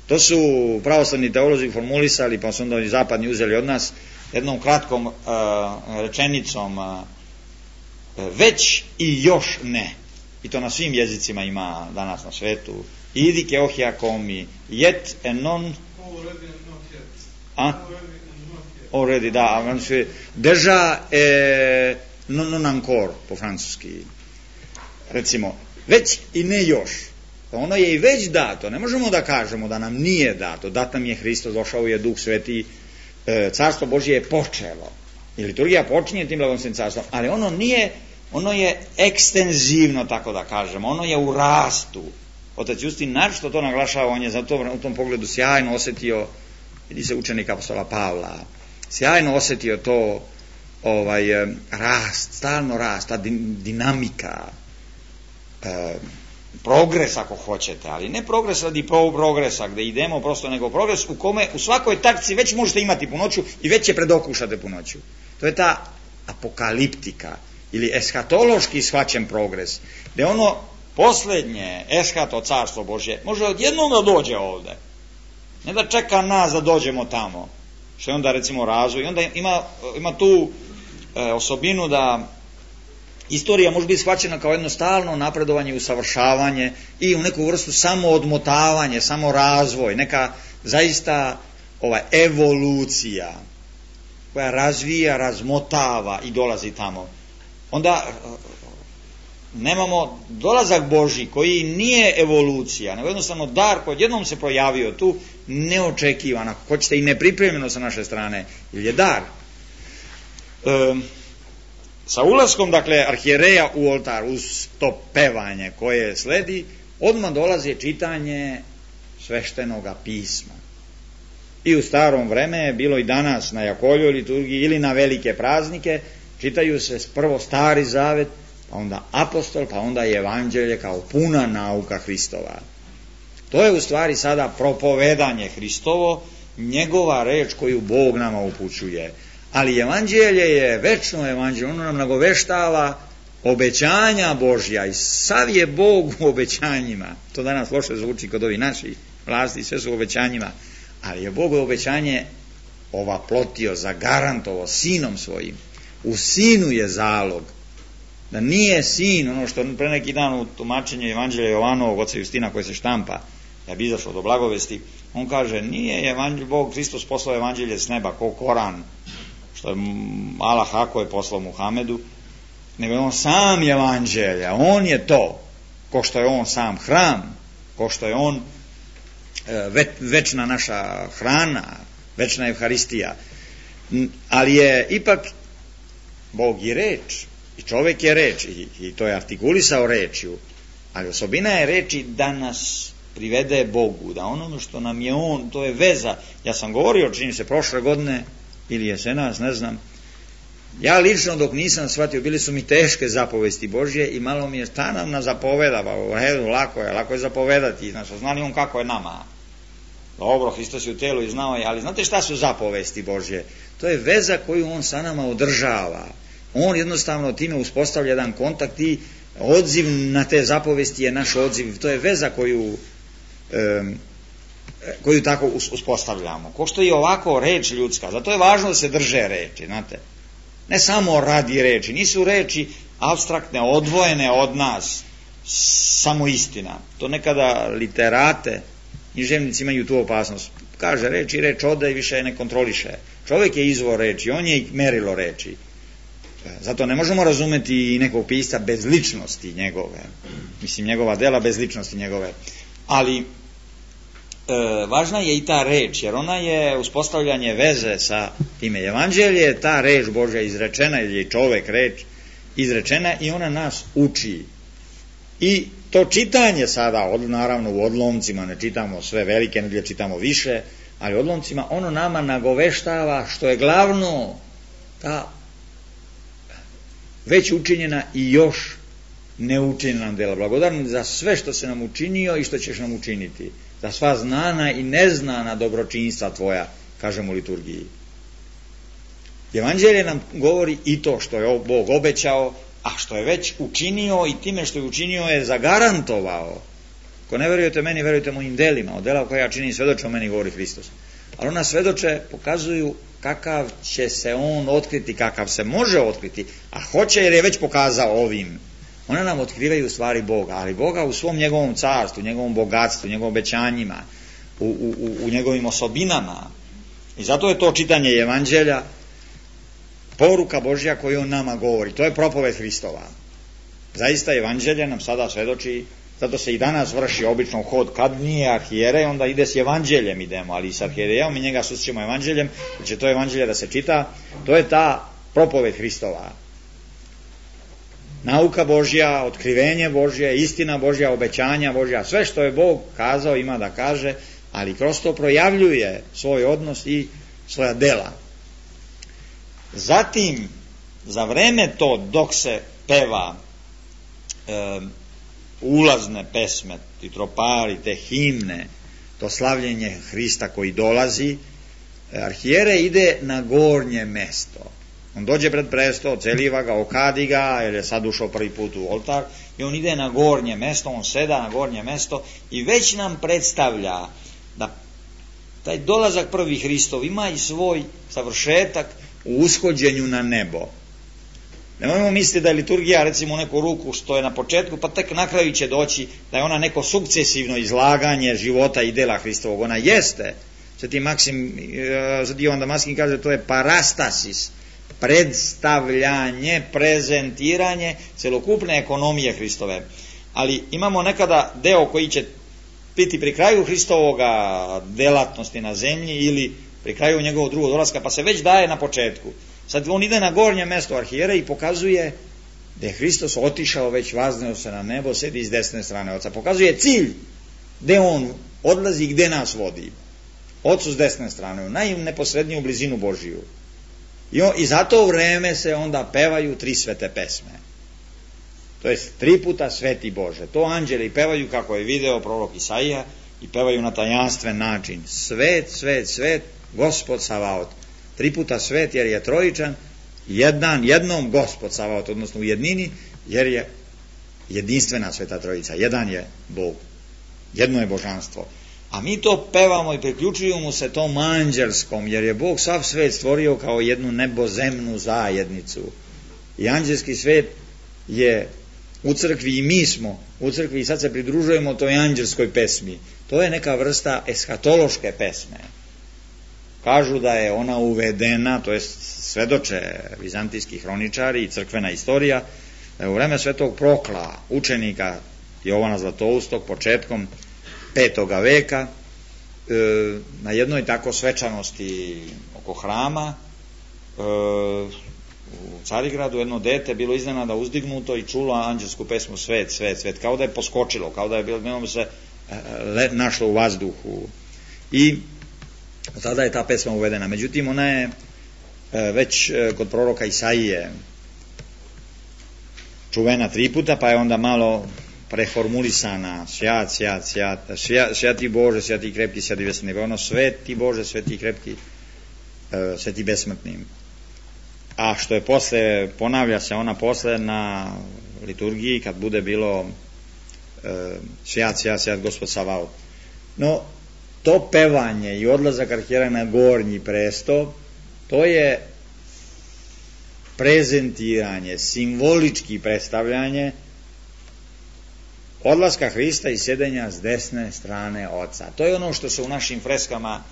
To su pravoslavni teolozi formulisali, pa su onda oni zapadni uzeli od nas jednom kratkom uh, rečenicom uh, već i još ne. I to na svim jezicima ima danas na svetu. Idi ke ohia komi, yet and non a? Already, da. Deja e, non, non ancora, po francuski. Recimo, već i ne još. Ono je i već dato. Ne možemo da kažemo da nam nije dato. Dat nam je Hristos, došao je Duh Sveti, e, Carstvo Božje je počelo. I liturgija počinje tim blagoslovnim carstvom, ali ono nije, ono je ekstenzivno, tako da kažemo. Ono je u rastu. Otac Justin naročito to naglašava, on je zato u tom pogledu sjajno osetio, vidi se učenik apostola Pavla, sjajno osetio to ovaj rast, stalno rast, ta dinamika, e, progres ako hoćete, ali ne progres radi progresa gde idemo prosto, nego progres u kome u svakoj takci već možete imati punoću i već je predokušate punoću. To je ta apokaliptika ili eskatološki shvaćen progres, gde ono poslednje eskato carstvo Božje može odjednom da dođe ovde, ne da čeka nas da dođemo tamo, što je onda recimo razvoj. Onda ima, ima tu e, osobinu da istorija može biti shvaćena kao jedno stalno napredovanje i usavršavanje i u neku vrstu samo odmotavanje, samo razvoj, neka zaista ova evolucija koja razvija, razmotava i dolazi tamo. Onda nemamo dolazak Božji koji nije evolucija, nego jednostavno dar koji jednom se pojavio tu, neočekivan, ako hoćete i nepripremljeno sa naše strane, ili je dar. E, sa ulaskom, dakle, arhijereja u oltar, uz to pevanje koje sledi, odmah dolazi čitanje sveštenoga pisma. I u starom vreme je bilo i danas na Jakoljoj liturgiji ili na velike praznike, čitaju se prvo Stari Zavet, pa onda apostol, pa onda i evanđelje kao puna nauka Hristova. To je u stvari sada propovedanje Hristovo, njegova reč koju Bog nama upućuje. Ali evanđelje je večno evanđelje, ono nam nagoveštava obećanja Božja i sav je Bog u obećanjima. To danas loše zvuči kod ovih naših vlasti, sve su u obećanjima, ali je Bog obećanje ovaplotio, zagarantovao sinom svojim. U sinu je zalog. Da nije sin, ono što pre neki dan u tumačenju evanđelja Jovanovog oca Justina koji se štampa, ja bi izašao do blagovesti, on kaže, nije evanđelj, Bog Hristos poslao evanđelje s neba, ko Koran, što je Allah ako je poslao Muhamedu, nego je on sam evanđelja, on je to, ko što je on sam hram, ko što je on ve, večna naša hrana, večna Evharistija, ali je ipak Bog i reč, i čovek je reč, i, i to je artikulisao rečju, ali osobina je reči da nas privede Bogu, da ono što nam je on, to je veza. Ja sam govorio, čini se, prošle godine, ili jesenas, ne znam, ja lično dok nisam shvatio, bili su mi teške zapovesti Božje i malo mi je šta nam na zapoveda, pa u redu, lako je, lako je zapovedati, znači, znali on kako je nama. Dobro, Hristos je u telu i znao je, ali znate šta su zapovesti Božje? To je veza koju on sa nama održava. On jednostavno time uspostavlja jedan kontakt i odziv na te zapovesti je naš odziv. To je veza koju um, koju tako uspostavljamo. Ko što je ovako reč ljudska, zato je važno da se drže reči, znate. Ne samo radi reči, nisu reči apstraktne, odvojene od nas, samo istina. To nekada literate, književnici imaju tu opasnost. Kaže reč i reč ode i više ne kontroliše. Čovjek je izvor reči, on je i merilo reči. Zato ne možemo razumeti nekog pisca bez ličnosti njegove. Mislim, njegova dela bez ličnosti njegove. Ali e, važna je i ta reč, jer ona je uspostavljanje veze sa time. Evanđelje je ta reč Božja izrečena, ili je čovek reč izrečena i ona nas uči. I to čitanje sada, od, naravno u odlomcima, ne čitamo sve velike, ne čitamo više, ali u odlomcima ono nama nagoveštava što je glavno ta već učinjena i još ne učini nam dela. Blagodaran za sve što se nam učinio i što ćeš nam učiniti. Za sva znana i neznana dobročinstva tvoja, kažemo u liturgiji. Evanđelje nam govori i to što je Bog obećao, a što je već učinio i time što je učinio je zagarantovao. Ako ne verujete meni, verujte mojim delima. Od dela koja ja činim svedoče o meni, govori Hristos. Ali ona svedoče pokazuju kakav će se on otkriti, kakav se može otkriti, a hoće jer je već pokazao ovim. One nam otkrivaju stvari Boga, ali Boga u svom njegovom carstvu, njegovom bogatstvu, njegovim obećanjima, u, u, u njegovim osobinama. I zato je to čitanje Evanđelja poruka Božja koju on nama govori. To je propoved Hristova. Zaista Evanđelje nam sada svedoči, zato se i danas vrši obično hod, kad nije arhijerej, onda ide s Evanđeljem idemo, ali i s arhijerejom i njega susrećemo Evanđeljem, jer će to Evanđelje da se čita, to je ta propoved Hristova. Nauka Božja, otkrivenje Božje, istina Božja, obećanja Božja, sve što je Bog kazao ima da kaže, ali kroz to projavljuje svoj odnos i svoja dela. Zatim, za vreme to dok se peva e, ulazne pesme, ti tropari, te himne, to slavljenje Hrista koji dolazi, arhijerej ide na gornje mesto. On dođe pred presto, celiva ga, okadi ga, jer je sad ušao prvi put u oltar, i on ide na gornje mesto, on seda na gornje mesto i već nam predstavlja da taj dolazak prvi Hristov ima i svoj završetak u ushođenju na nebo. Nemojmo misliti da je liturgija recimo u neku ruku što je na početku, pa tek na kraju će doći da je ona neko sukcesivno izlaganje života i dela Hristovog. Ona jeste. Sveti Maksim, Sveti Jovan Damaskin kaže, to je parastasis, predstavljanje, prezentiranje celokupne ekonomije Hristove. Ali imamo nekada deo koji će biti pri kraju Hristovoga delatnosti na zemlji ili pri kraju njegovog drugog dolaska, pa se već daje na početku. Sad on ide na gornje mesto arhijera i pokazuje da je Hristos otišao, već vazneo se na nebo, sedi iz desne strane Oca. Pokazuje cilj gde on odlazi i gde nas vodi. Ocu s desne strane, u najneposredniju blizinu Božiju. I, on, I za to vreme se onda pevaju tri svete pesme. To jest tri puta Sveti Bože. To anđeli pevaju kako je video prorok Isaija i pevaju na tajanstven način. Svet, svet, svet, Gospod Savaot. Tri puta svet jer je trojičan, jedan, jednom Gospod Savaot, odnosno u jednini, jer je jedinstvena Sveta Trojica. Jedan je Bog. Jedno je božanstvo. A mi to pevamo i priključujemo mu se tom anđelskom, jer je Bog sav svet stvorio kao jednu nebozemnu zajednicu. I anđelski svet je u crkvi i mi smo u crkvi i sad se pridružujemo toj anđelskoj pesmi. To je neka vrsta eskatološke pesme. Kažu da je ona uvedena, to je svedoče vizantijski hroničari i crkvena istorija, da je u vreme svetog Prokla, učenika Jovana Zlatoustog, početkom petoga veka, e, na jednoj tako svečanosti oko hrama, e, u Carigradu jedno dete bilo iznenada uzdignuto i čulo anđelsku pesmu Svet, svet, svet, kao da je poskočilo, kao da je bilo se e, našlo u vazduhu. I tada je ta pesma uvedena. Međutim, ona je e, već e, kod proroka Isaije čuvena tri puta, pa je onda malo preformulisana. Sjat, sjat, sjat, sjat, sjati Bože, sjati krepki, sjati besmrtni. Ono sveti Bože, sveti krepki, e, sveti besmrtni. A što je posle, ponavlja se ona posle na liturgiji kad bude bilo e, sjat, sjat, sjat, Gospod Savaot. No, to pevanje i odlazak arhijera na gornji presto, to je prezentiranje, simbolički predstavljanje odlaska Hrista i sedenja s desne strane Oca. To je ono što se u našim freskama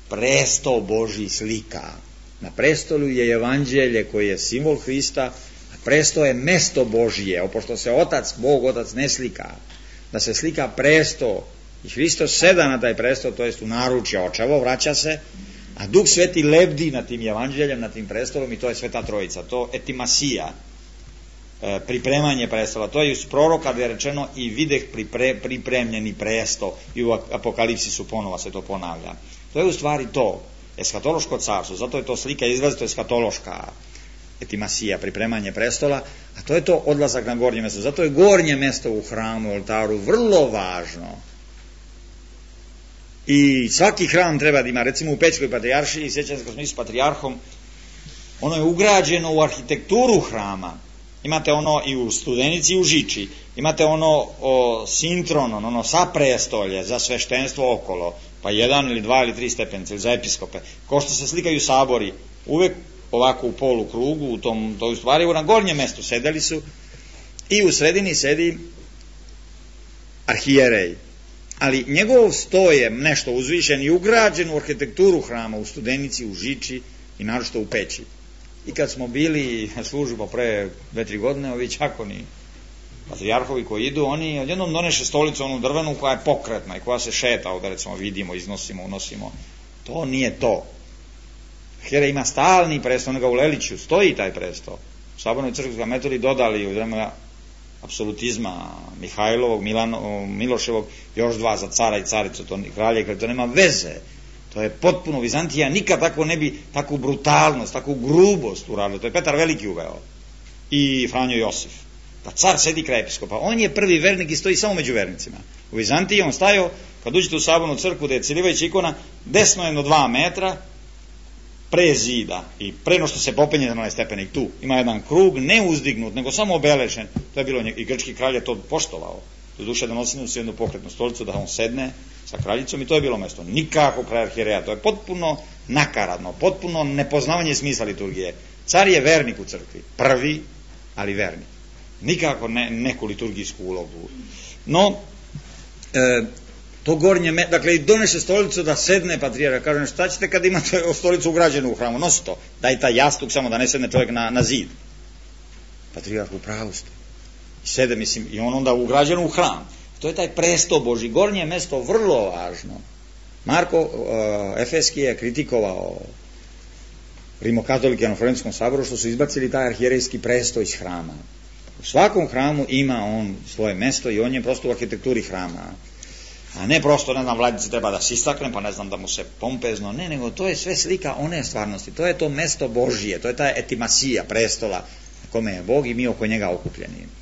presto Božji slika. Na prestolu je evanđelje koje je simbol Hrista, a presto je mesto Božje, opošto se Otac, Bog Otac ne slika, da se slika presto i Hristos seda na taj presto, to jest u naručje očevo, vraća se, a Duh Sveti lebdi na tim evanđeljem, na tim prestolom i to je Sveta Trojica, to etimasija, e, pripremanje prestola, to je iz proroka gdje je rečeno i videh pripre, pripremljeni presto i u Apokalipsisu ponova se to ponavlja. To je u stvari to, eskatološko carstvo, zato je to slika izrazito eskatološka. etimasija, pripremanje prestola, a to je to odlazak na gornje mesto. Zato je gornje mesto u hramu, oltaru vrlo važno. I svaki hram treba da ima, recimo u Pećkoj patrijaršiji, sjećam se kad smo išli s patrijarhom, ono je ugrađeno u arhitekturu hrama. Imate ono i u Studenici i u Žiči. Imate ono o, sintron, ono sa prestolje za sveštenstvo okolo, pa jedan ili dva ili tri stepenice, ili za episkope. Ko što se slikaju sabori, uvek ovako u polu krugu, u tom, to u stvari na gornjem mestu sedeli su i u sredini sedi arhijerej. Ali njegov sto je nešto uzvišen i ugrađen u arhitekturu hrama u Studenici, u Žiči i naročito u Peći. I kad smo bili na službu pre dve, tri godine, ovi čakoni patrijarhovi koji idu, oni odjednom doneše stolicu onu drvenu koja je pokretna i koja se šeta, ovdje recimo vidimo, iznosimo, unosimo. To nije to. Arhijerej ima stalni presto, onoga u Leliću stoji taj presto. U Sabornoj crkvi ga metodi dodali u vremena apsolutizma Mihajlovog, Milano, Miloševog, još dva za cara i caricu, to kralje, to nema veze. To je potpuno, Vizantija nikad tako ne bi, takvu brutalnost, takvu grubost uradila. To je Petar Veliki uveo i Franjo Josif. Pa car sedi kraj episkopa, on je prvi vernik i stoji samo među vernicima. U Vizantiji on stajao, kad uđete u Sabornu crkvu gde je Cilivajuća ikona, desno jedno dva metra pre zida i pre no što se popenje na onaj stepenik tu, ima jedan krug, ne uzdignut, nego samo obelešen. To je bilo, i grčki kralj je to poštovao. Do duše donosili su jednu pokretnu stolicu da on sedne sa kraljicom i to je bilo mesto. Nikako kraj arhijereja, to je potpuno nakaradno, potpuno nepoznavanje smisla liturgije. Car je vernik u crkvi, prvi, ali vernik. Nikako ne, neku liturgijsku ulogu. No, e, to gornje, me, dakle, donese stolicu da sedne patrijarh, kažem, šta ćete kad imate stolicu ugrađenu u hramu, nosi to, daj taj jastuk samo da ne sedne čovjek na, na zid. Patrijarh u pravu ste. I sede, mislim, i on onda ugrađen u hram. To je taj presto Božji, gornje mesto vrlo važno. Marko uh, Efeski je kritikovao rimokatolike na Florencijskom saboru što su izbacili taj arhijerejski presto iz hrama. U svakom hramu ima on svoje mesto i on je prosto u arhitekturi hrama. A ne prosto, ne znam, vladici treba da se istakne, pa ne znam da mu se pompezno, ne, nego to je sve slika one stvarnosti. To je to mesto Božije, to je ta etimasija prestola na kome je Bog i mi oko njega okupljeni.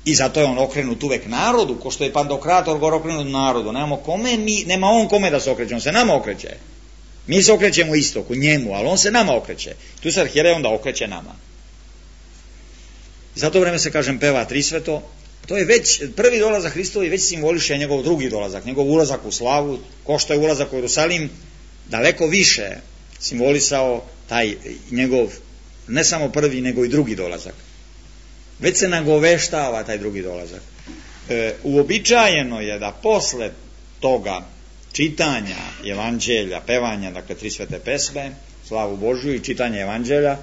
I zato je on okrenut uvek narodu, ko što je Pantokrator gore okrenut narodu. Nemamo kome, mi, nema on kome da se okreće, on se nama okreće. Mi se okrećemo istoku, njemu, ali on se nama okreće. Tu se arhijerej onda okreće nama. I za to vreme se, kažem, peva Trisveto. To je već, prvi dolazak Hristovi već simboliše njegov drugi dolazak, njegov ulazak u slavu, ko što je ulazak u Jerusalim, daleko više simbolisao taj njegov, ne samo prvi, nego i drugi dolazak. Već se nagoveštava taj drugi dolazak. E, uobičajeno je da posle toga čitanja evanđelja, pevanja, dakle tri svete pesme, slavu Božju i čitanja evanđelja,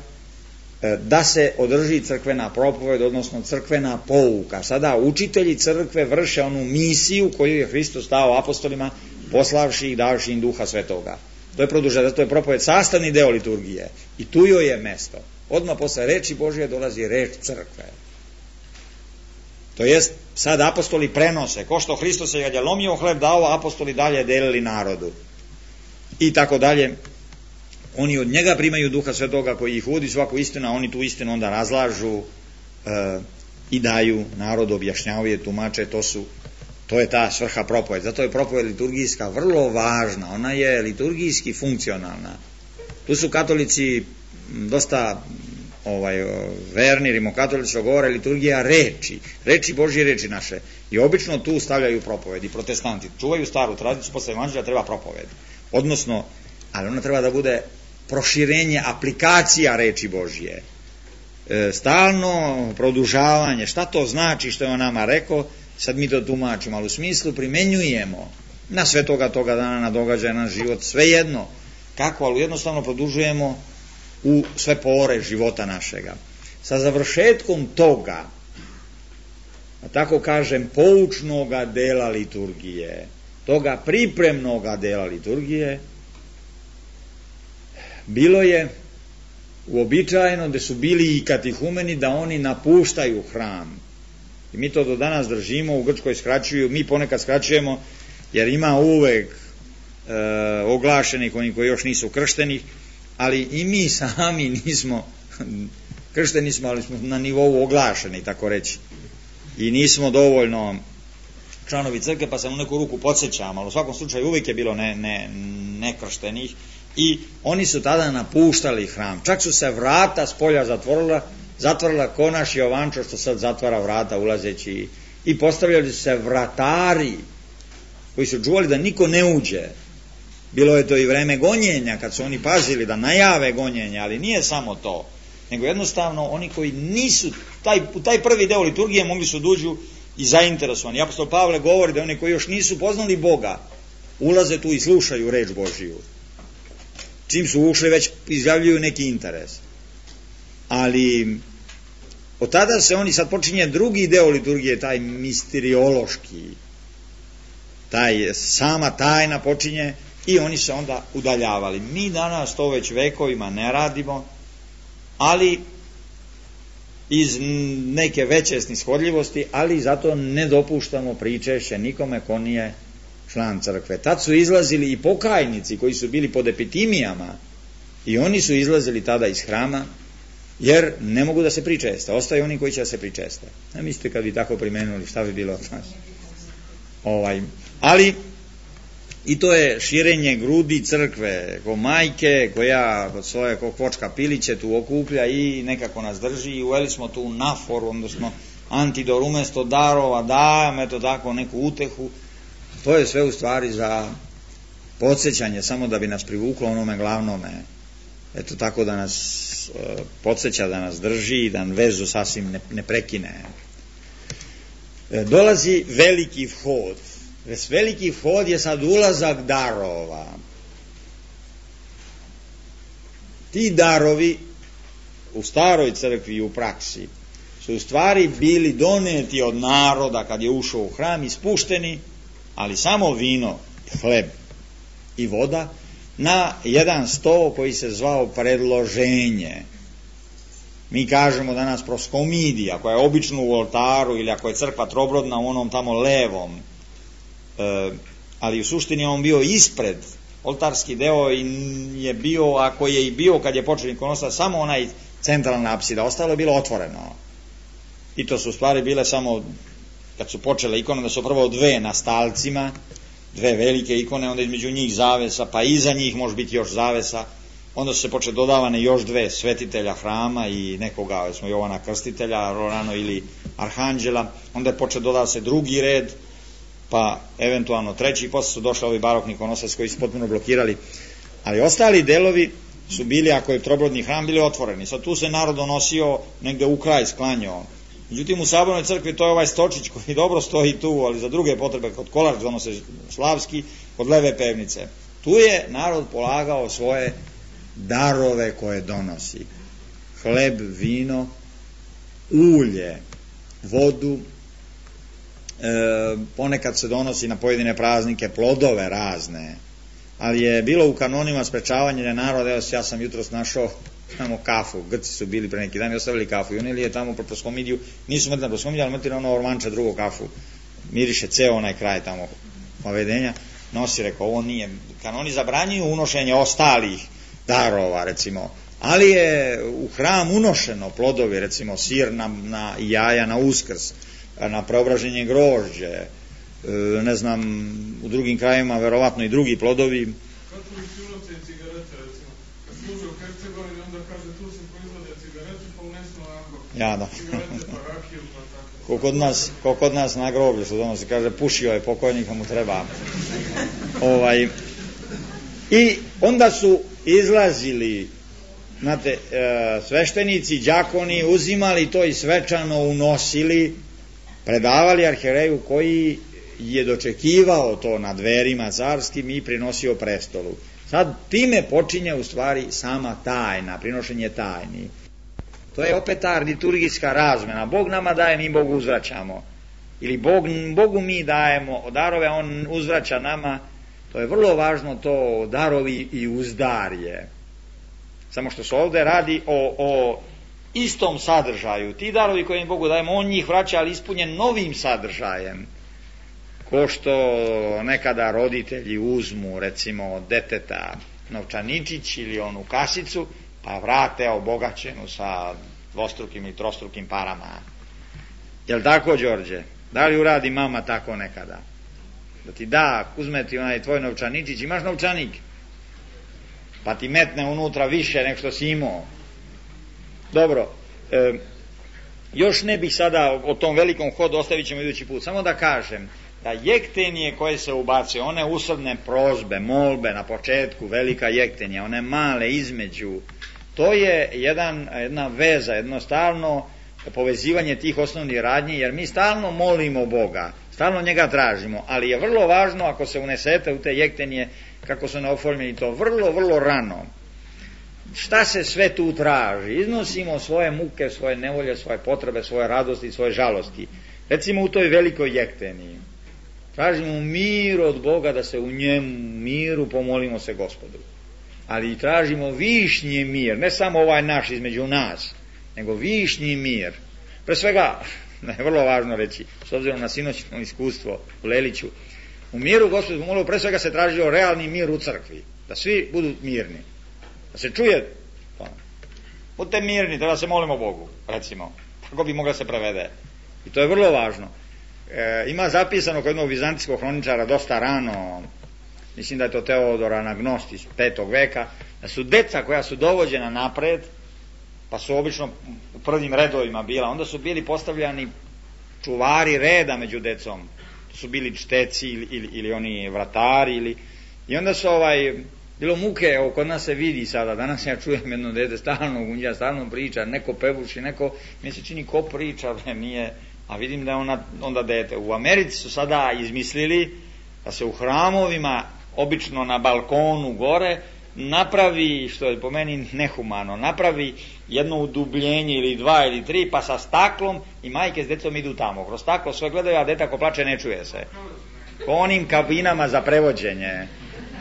e, da se održi crkvena propoved, odnosno crkvena pouka. Sada učitelji crkve vrše onu misiju koju je Hristos dao apostolima, poslavši i davši im duha svetoga. To je produženo, to je propoved sastavni deo liturgije i tu joj je mesto. Odmah posle reči Božje dolazi reč crkve. To jest, sad apostoli prenose, ko što Hristos je kad je lomio hleb dao, apostoli dalje delili narodu. I tako dalje. Oni od njega primaju duha svetoga koji ih uvodi svaku istinu, a oni tu istinu onda razlažu e, i daju narodu, objašnjavaju je, tumače, to su, to je ta svrha propoved. Zato je propoved liturgijska vrlo važna, ona je liturgijski funkcionalna. Tu su katolici dosta ovaj, verni, rimokatolici govore liturgija reči, reči Božje, reči naše. I obično tu stavljaju propoved i protestanti. Čuvaju staru tradiciju, posle evanđelja treba propoved. Odnosno, ali ona treba da bude proširenje, aplikacija reči Božje. E, stalno produžavanje, šta to znači što je on nama rekao, sad mi to tumačimo, ali u smislu primenjujemo na sve toga, toga dana, na događaje, na život, svejedno. Kako, ali jednostavno produžujemo u sve pore života našega. Sa završetkom toga, a tako kažem, poučnoga dela liturgije, toga pripremnoga dela liturgije, bilo je uobičajeno da su bili i katihumeni da oni napuštaju hram. I mi to do danas držimo, u Grčkoj skraćuju, mi ponekad skraćujemo, jer ima uvek e, oglašenih, oni koji još nisu kršteni, ali i mi sami nismo kršteni smo, ali smo na nivou oglašeni, tako reći. I nismo dovoljno članovi crkve, pa se u neku ruku podsjećam, ali u svakom slučaju uvijek je bilo ne, ne, nekrštenih i oni su tada napuštali hram. Čak su se vrata s polja zatvorila, zatvorila ko naš Jovančo što sad zatvara vrata ulazeći i postavljali su se vratari koji su čuvali da niko ne uđe. Bilo je to i vreme gonjenja kad su oni pazili da najave gonjenja, ali nije samo to, nego jednostavno oni koji nisu taj, u taj prvi deo liturgije mogli su duđu i zainteresovani. Apostol Pavle govori da oni koji još nisu poznali Boga ulaze tu i slušaju reč Božiju. Čim su ušli već izjavljuju neki interes. Ali od tada se oni, sad počinje drugi deo liturgije, taj misteriološki, taj sama tajna počinje i oni se onda udaljavali. Mi danas to već vekovima ne radimo, ali iz neke veće snishodljivosti, ali zato ne dopuštamo pričešće nikome ko nije član crkve. Tad su izlazili i pokajnici koji su bili pod epitimijama i oni su izlazili tada iz hrama, jer ne mogu da se pričeste. Ostaju oni koji će da se pričeste. Ne mislite kad bi tako primenuli šta bi bilo od nas. Ovaj, ali i to je širenje grudi crkve, ko majke koja kod svoje ko kvočka piliće tu okuplja i nekako nas drži i uveli smo tu naforu, odnosno antidor, umesto darova dajem, eto tako neku utehu. To je sve u stvari za podsjećanje, samo da bi nas privuklo onome glavnome, eto tako da nas e, podsjeća, da nas drži, da vezu sasvim ne, ne prekine. E, dolazi veliki vhod. Ves veliki vhod je sad ulazak darova. Ti darovi u staroj crkvi i u praksi su u stvari bili doneti od naroda kad je ušao u hram, ispušteni, ali samo vino, hleb i voda na jedan sto koji se zvao predloženje. Mi kažemo danas proskomidija, koja je obično u oltaru, ili ako je crkva trobrodna u onom tamo levom, e, ali u suštini on bio ispred, oltarski deo je bio, ako je i bio kad je počeo ikonostat, samo onaj centralna apsida, ostalo je bilo otvoreno. I to su u stvari bile samo, kad su počele ikone, da su prvo dve na stalcima, dve velike ikone, onda između njih zavesa, pa iza njih može biti još zavesa, onda su se počele dodavane još dve svetitelja hrama i nekoga, smo Jovana Krstitelja, Rorano ili Arhanđela, onda je počeo dodava se drugi red, pa eventualno treći, posle su došli ovi barokni ikonostaci koji su potpuno blokirali, ali ostali delovi su bili, ako je trobrodni hram, bili otvoreni. Sad tu se narod donosio negde u kraj, sklanjao. Međutim, u Sabornoj crkvi to je ovaj stočić koji dobro stoji tu, ali za druge potrebe, kod kolarč donose slavski, kod leve pevnice. Tu je narod polagao svoje darove koje donosi. Hleb, vino, ulje, vodu, e, ponekad se donosi na pojedine praznike plodove razne, ali je bilo u kanonima sprečavanje naroda. Evo, ja sam jutros našao tamo kafu, Grci su bili pre neki dan i ostavili kafu i unili je tamo pro proskomidiju, nisu mrtli na proskomidiju, ali mrtli na ono ormanče drugo kafu, miriše ceo onaj kraj tamo povedenja, nosi, rekao, ovo nije, kanoni zabranjuju unošenje ostalih darova, recimo, ali je u hram unošeno plodovi, recimo sir na, na jaja na Uskrs, na preobraženje grožđe, ne znam, u drugim krajima verovatno i drugi plodovi. Katolici unoče i cigarete, recimo, kad služe u Hercegovini, onda kaže tu se proizvode cigarete, pa unesu onako ja, da. cigarete, pa rakiju, pa tako. Ko kod nas, ko kod nas na groblju što donosi, kaže pušio je pokojnika, mu treba. ovaj I onda su izlazili, znate, e, sveštenici, đakoni, uzimali to i svečano unosili, predavali arhijereju koji je dočekivao to na dverima carskim i prinosio prestolu. Sad time počinje u stvari sama tajna, prinošenje tajni. To je opet ta liturgijska razmena. Bog nama daje, mi Bogu uzvraćamo. Ili Bog, Bogu mi dajemo darove, on uzvraća nama. To je vrlo važno, to darovi i uzdarje. Samo što se ovdje radi o, o istom sadržaju. Ti darovi koje mi Bogu dajemo, on njih vraća, ali ispunjen novim sadržajem. Ko što nekada roditelji uzmu, recimo, od deteta novčaničić ili onu kasicu, pa vrate obogaćenu sa dvostrukim ili trostrukim parama. Jel tako, Đorđe? Da li uradi mama tako nekada? Da ti da, uzme ti onaj tvoj novčaničić, imaš novčanik, pa ti metne unutra više nego što si imao. Dobro, e, još ne bih sada o tom velikom hodu, ostavit ćemo idući put, samo da kažem da jektenije koje se ubace, one usrdne prozbe, molbe na početku, velika jektenja, one male između, to je jedan, jedna veza, jednostavno povezivanje tih osnovnih radnji, jer mi stalno molimo Boga, stalno njega tražimo, ali je vrlo važno ako se unesete u te jektenije, kako su neoformljeni, to vrlo, vrlo rano. Šta se sve tu traži? Iznosimo svoje muke, svoje nevolje, svoje potrebe, svoje radosti, svoje žalosti. Recimo u toj velikoj jekteniji tražimo mir od Boga, da se u njemu miru pomolimo se Gospodu. Ali tražimo višnji mir, ne samo ovaj naš između nas, nego višnji mir. Pre svega, je vrlo važno reći, s obzirom na sinoćno iskustvo u Leliću, u miru Gospodu pomolimo, pre svega se tražio realni mir u crkvi, da svi budu mirni, da se čuje, budite mirni, da se molimo Bogu, recimo, tako bi mogla se prevede. I to je vrlo važno. E, ima zapisano kod jednog vizantijskog hroničara dosta rano, mislim da je to Teodor Anagnost iz petog veka, da su deca koja su dovođena napred, pa su obično u prvim redovima bila, onda su bili postavljani čuvari reda među decom, to su bili čteci ili, ili, ili oni vratari, ili, i onda su ovaj, bilo muke, evo kod nas se vidi sada, danas ja čujem jedno dete stalno gunđa, stalno priča, neko pevuši, neko, mi se čini ko priča, nije, a vidim da je ona, onda dete. U Americi su sada izmislili da se u hramovima, obično na balkonu gore, napravi, što je po meni nehumano, napravi jedno udubljenje ili dva ili tri, pa sa staklom i majke s decom idu tamo. Kroz staklo sve gledaju, a dete ako plače ne čuje se. Po onim kabinama za prevođenje,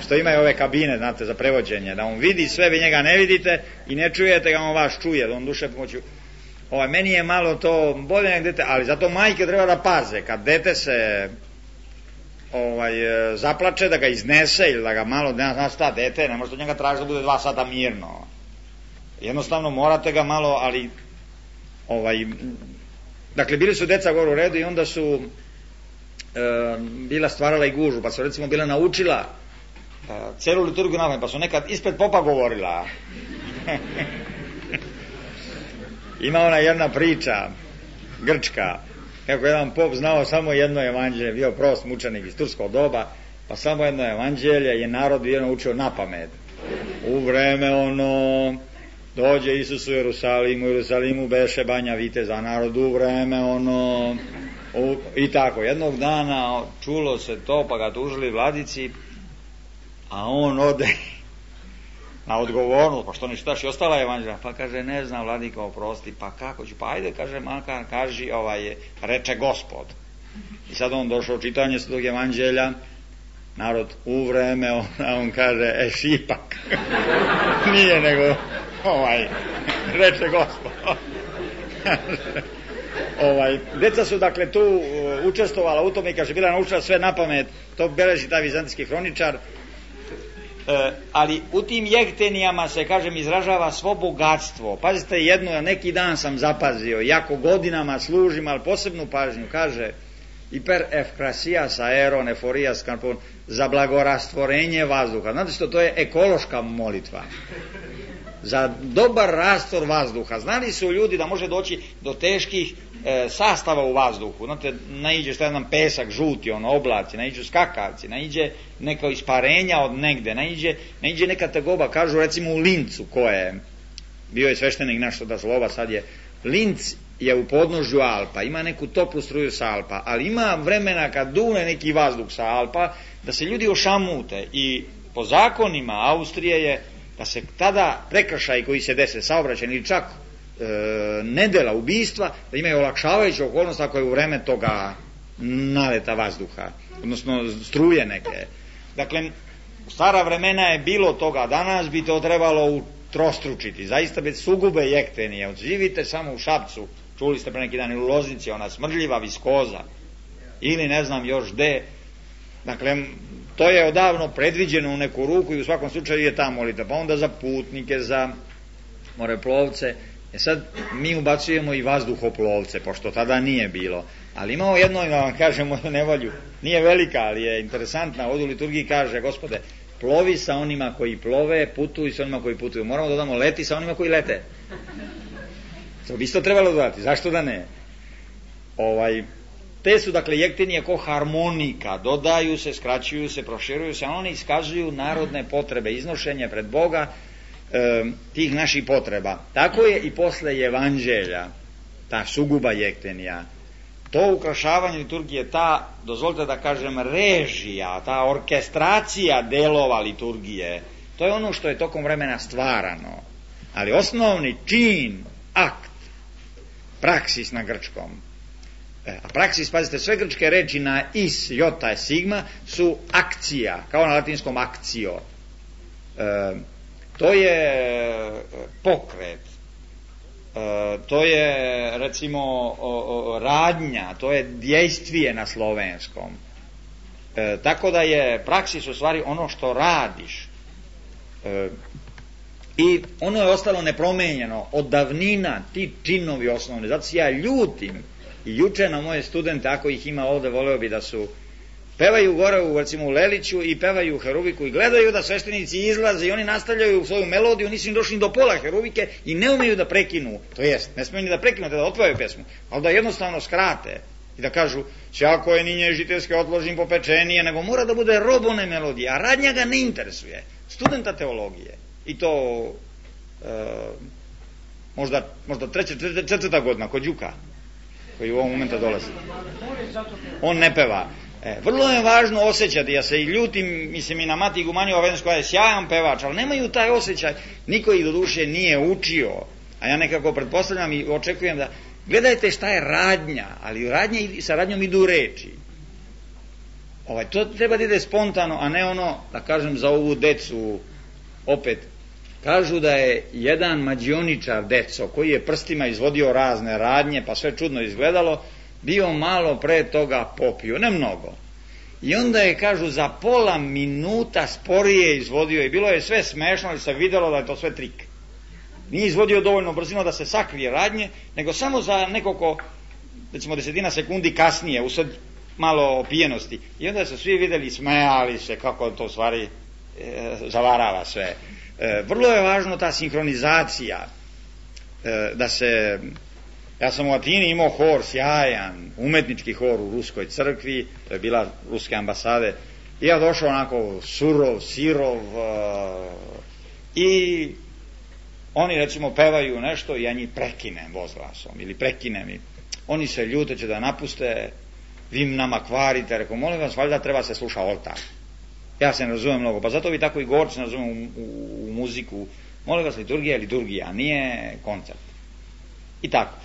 što imaju ove kabine, znate, za prevođenje, da on vidi sve, vi njega ne vidite i ne čujete ga, on vas čuje, da on duše pomoću. Ovaj, meni je malo to bolje nek dete, ali zato majke treba da paze, kad dete se ovaj, zaplače, da ga iznese ili da ga malo, ne zna šta dete, ne možete od njega tražiti da bude dva sata mirno. Jednostavno morate ga malo, ali ovaj, dakle, bili su deca gore u redu i onda su e, bila stvarala i gužu, pa su recimo bila naučila e, celu liturgiju napamet, pa su nekad ispred popa govorila. Ima ona jedna priča grčka, kako jedan pop znao samo jedno evanđelje, bio prost mučenik iz turskog doba, pa samo jedno evanđelje je narod bio naučio napamet. U vreme ono, dođe Isus u Jerusalimu, u Jerusalimu beše banja viteza, narod u vreme ono, u, i tako. Jednog dana čulo se to, pa ga tužili vladici, a on ode na odgovornost, pa što ne čitaš i ostala evanđelja, pa kaže, ne znam, vladiko, oprosti, pa kako ću, pa ajde, kaže, makar, kaži, ovaj, reče Gospod. I sad on došao čitanje svetog evanđelja, narod u vreme, on, on kaže, e, šipak. Nije nego, ovaj, reče Gospod. ovaj, deca su, dakle, tu učestvovala u tome i kaže, bila naučila sve napamet, to beleži taj vizantijski hroničar. E, ali u tim jektenijama se, kažem, izražava svo bogatstvo. Pazite jedno, neki dan sam zapazio, jako godinama služim, ali posebnu pažnju, kaže hiper efkrasijas aeron eforijas karpon, za blagorastvorenje vazduha. Znate što, to je ekološka molitva za dobar rastor vazduha. Znali su ljudi da može doći do teških e, sastava u vazduhu. Znate, naiđe šta je nam pesak, žuti, ono, oblaci, naiđu skakavci, naiđe neka isparenja od negde, naiđe, naiđe neka tegoba, kažu recimo u Lincu, ko je, bio je sveštenik naš da slova, sad je, Linc je u podnožju Alpa, ima neku toplu struju sa Alpa, ali ima vremena kad dune neki vazduh sa Alpa, da se ljudi ošamute i po zakonima Austrije je da se tada prekršaj koji se dese, saobraćaj ili čak e, nedela, ubistva, da imaju olakšavajuću okolnost ako je u vreme toga naleta vazduha, odnosno struje neke. Dakle, u stara vremena je bilo toga, danas bi to trebalo utrostručiti, zaista bez sugube jektenije. Odživite samo u Šapcu, čuli ste pre neki dan, u Loznici, ona smrdljiva viskoza, ili ne znam još gde. Dakle, to je odavno predviđeno u neku ruku i u svakom slučaju je ta molitva. Pa onda za putnike, za moreplovce, E sad, mi ubacujemo i vazduhoplovce, pošto tada nije bilo. Ali imamo jedno, da vam kažemo nevolju, nije velika, ali je interesantna. Ovdje u liturgiji kaže, Gospode, plovi sa onima koji plove, putuj sa onima koji putuju. Moramo da dodamo leti sa onima koji lete. To bi isto trebalo dodati, zašto da ne? Ovaj, te su, dakle, jektenije ko harmonika, dodaju se, skraćuju se, proširuju se, a one iskazuju narodne potrebe, iznošenje pred Boga e, tih naših potreba. Tako je i posle evanđelja, ta suguba jektenija, to ukrašavanje liturgije, ta, dozvolite da kažem, režija, ta orkestracija delova liturgije, to je ono što je tokom vremena stvarano. Ali osnovni čin, akt, praksis na grčkom, a praksis, pazite, sve grčke reči na is, jota, sigma su akcija, kao na latinskom akcio. E, to je pokret, e, to je recimo o, o, radnja, to je djejstvije na slovenskom. E, tako da je praksis u stvari ono što radiš. E, I ono je ostalo nepromenjeno od davnina, ti činovi osnovni. Zato se ja ljutim i juče na moje studente, ako ih ima ovde, voleo bi da su pevaju gore u, recimo, u Leliću i pevaju heruviku i gledaju da sveštenici izlaze i oni nastavljaju svoju melodiju, nisu im došli do pola heruvike i ne umeju da prekinu, to jest, ne smeju ni da prekinu, da otpevaju pesmu, ali da jednostavno skrate i da kažu, sjako je ninje žiteljske odložim popečenije, nego mora da bude robone melodije, a radnja ga ne interesuje, studenta teologije. I to e, možda, možda treća, četvrta godina kod Đuka, koji u ovom momenta dolazi. On ne peva. E, vrlo je važno osjećati, ja se i ljutim, mislim i na Mati Gumanjova Vedens koja je sjajan pevač, ali nemaju taj osjećaj, niko ih do duše nije učio, a ja nekako pretpostavljam i očekujem da, gledajte šta je radnja, ali radnja i sa radnjom idu reči. Ovaj, to treba da ide spontano, a ne ono, da kažem za ovu decu, opet, kažu da je jedan mađioničar deco, koji je prstima izvodio razne radnje, pa sve čudno izgledalo, bio malo pre toga popio, ne mnogo. I onda je, kažu, za pola minuta sporije izvodio i bilo je sve smešno, ali se videlo da je to sve trik. Nije izvodio dovoljno brzino da se sakrije radnje, nego samo za nekoliko, recimo desetina sekundi kasnije, usled malo opijenosti. I onda su svi videli, smejali se kako to stvari e, zavarava sve. E, vrlo je važno ta sinhronizacija, e, da se, ja sam u Atini imao hor sjajan, umetnički hor u ruskoj crkvi, to je bila ruske ambasade, i ja došao onako surov, sirov, e, i oni recimo pevaju nešto i ja njih prekinem vozglasom ili prekinem i oni se ljute, će da napuste, vi nama kvarite, rekao, molim vas, valjda treba se sluša oltar. Ja se ne razumem mnogo, pa zato vi tako i gorci ne razumem u, u, u muziku. Molim vas, liturgija je liturgija, a nije koncert. I tako.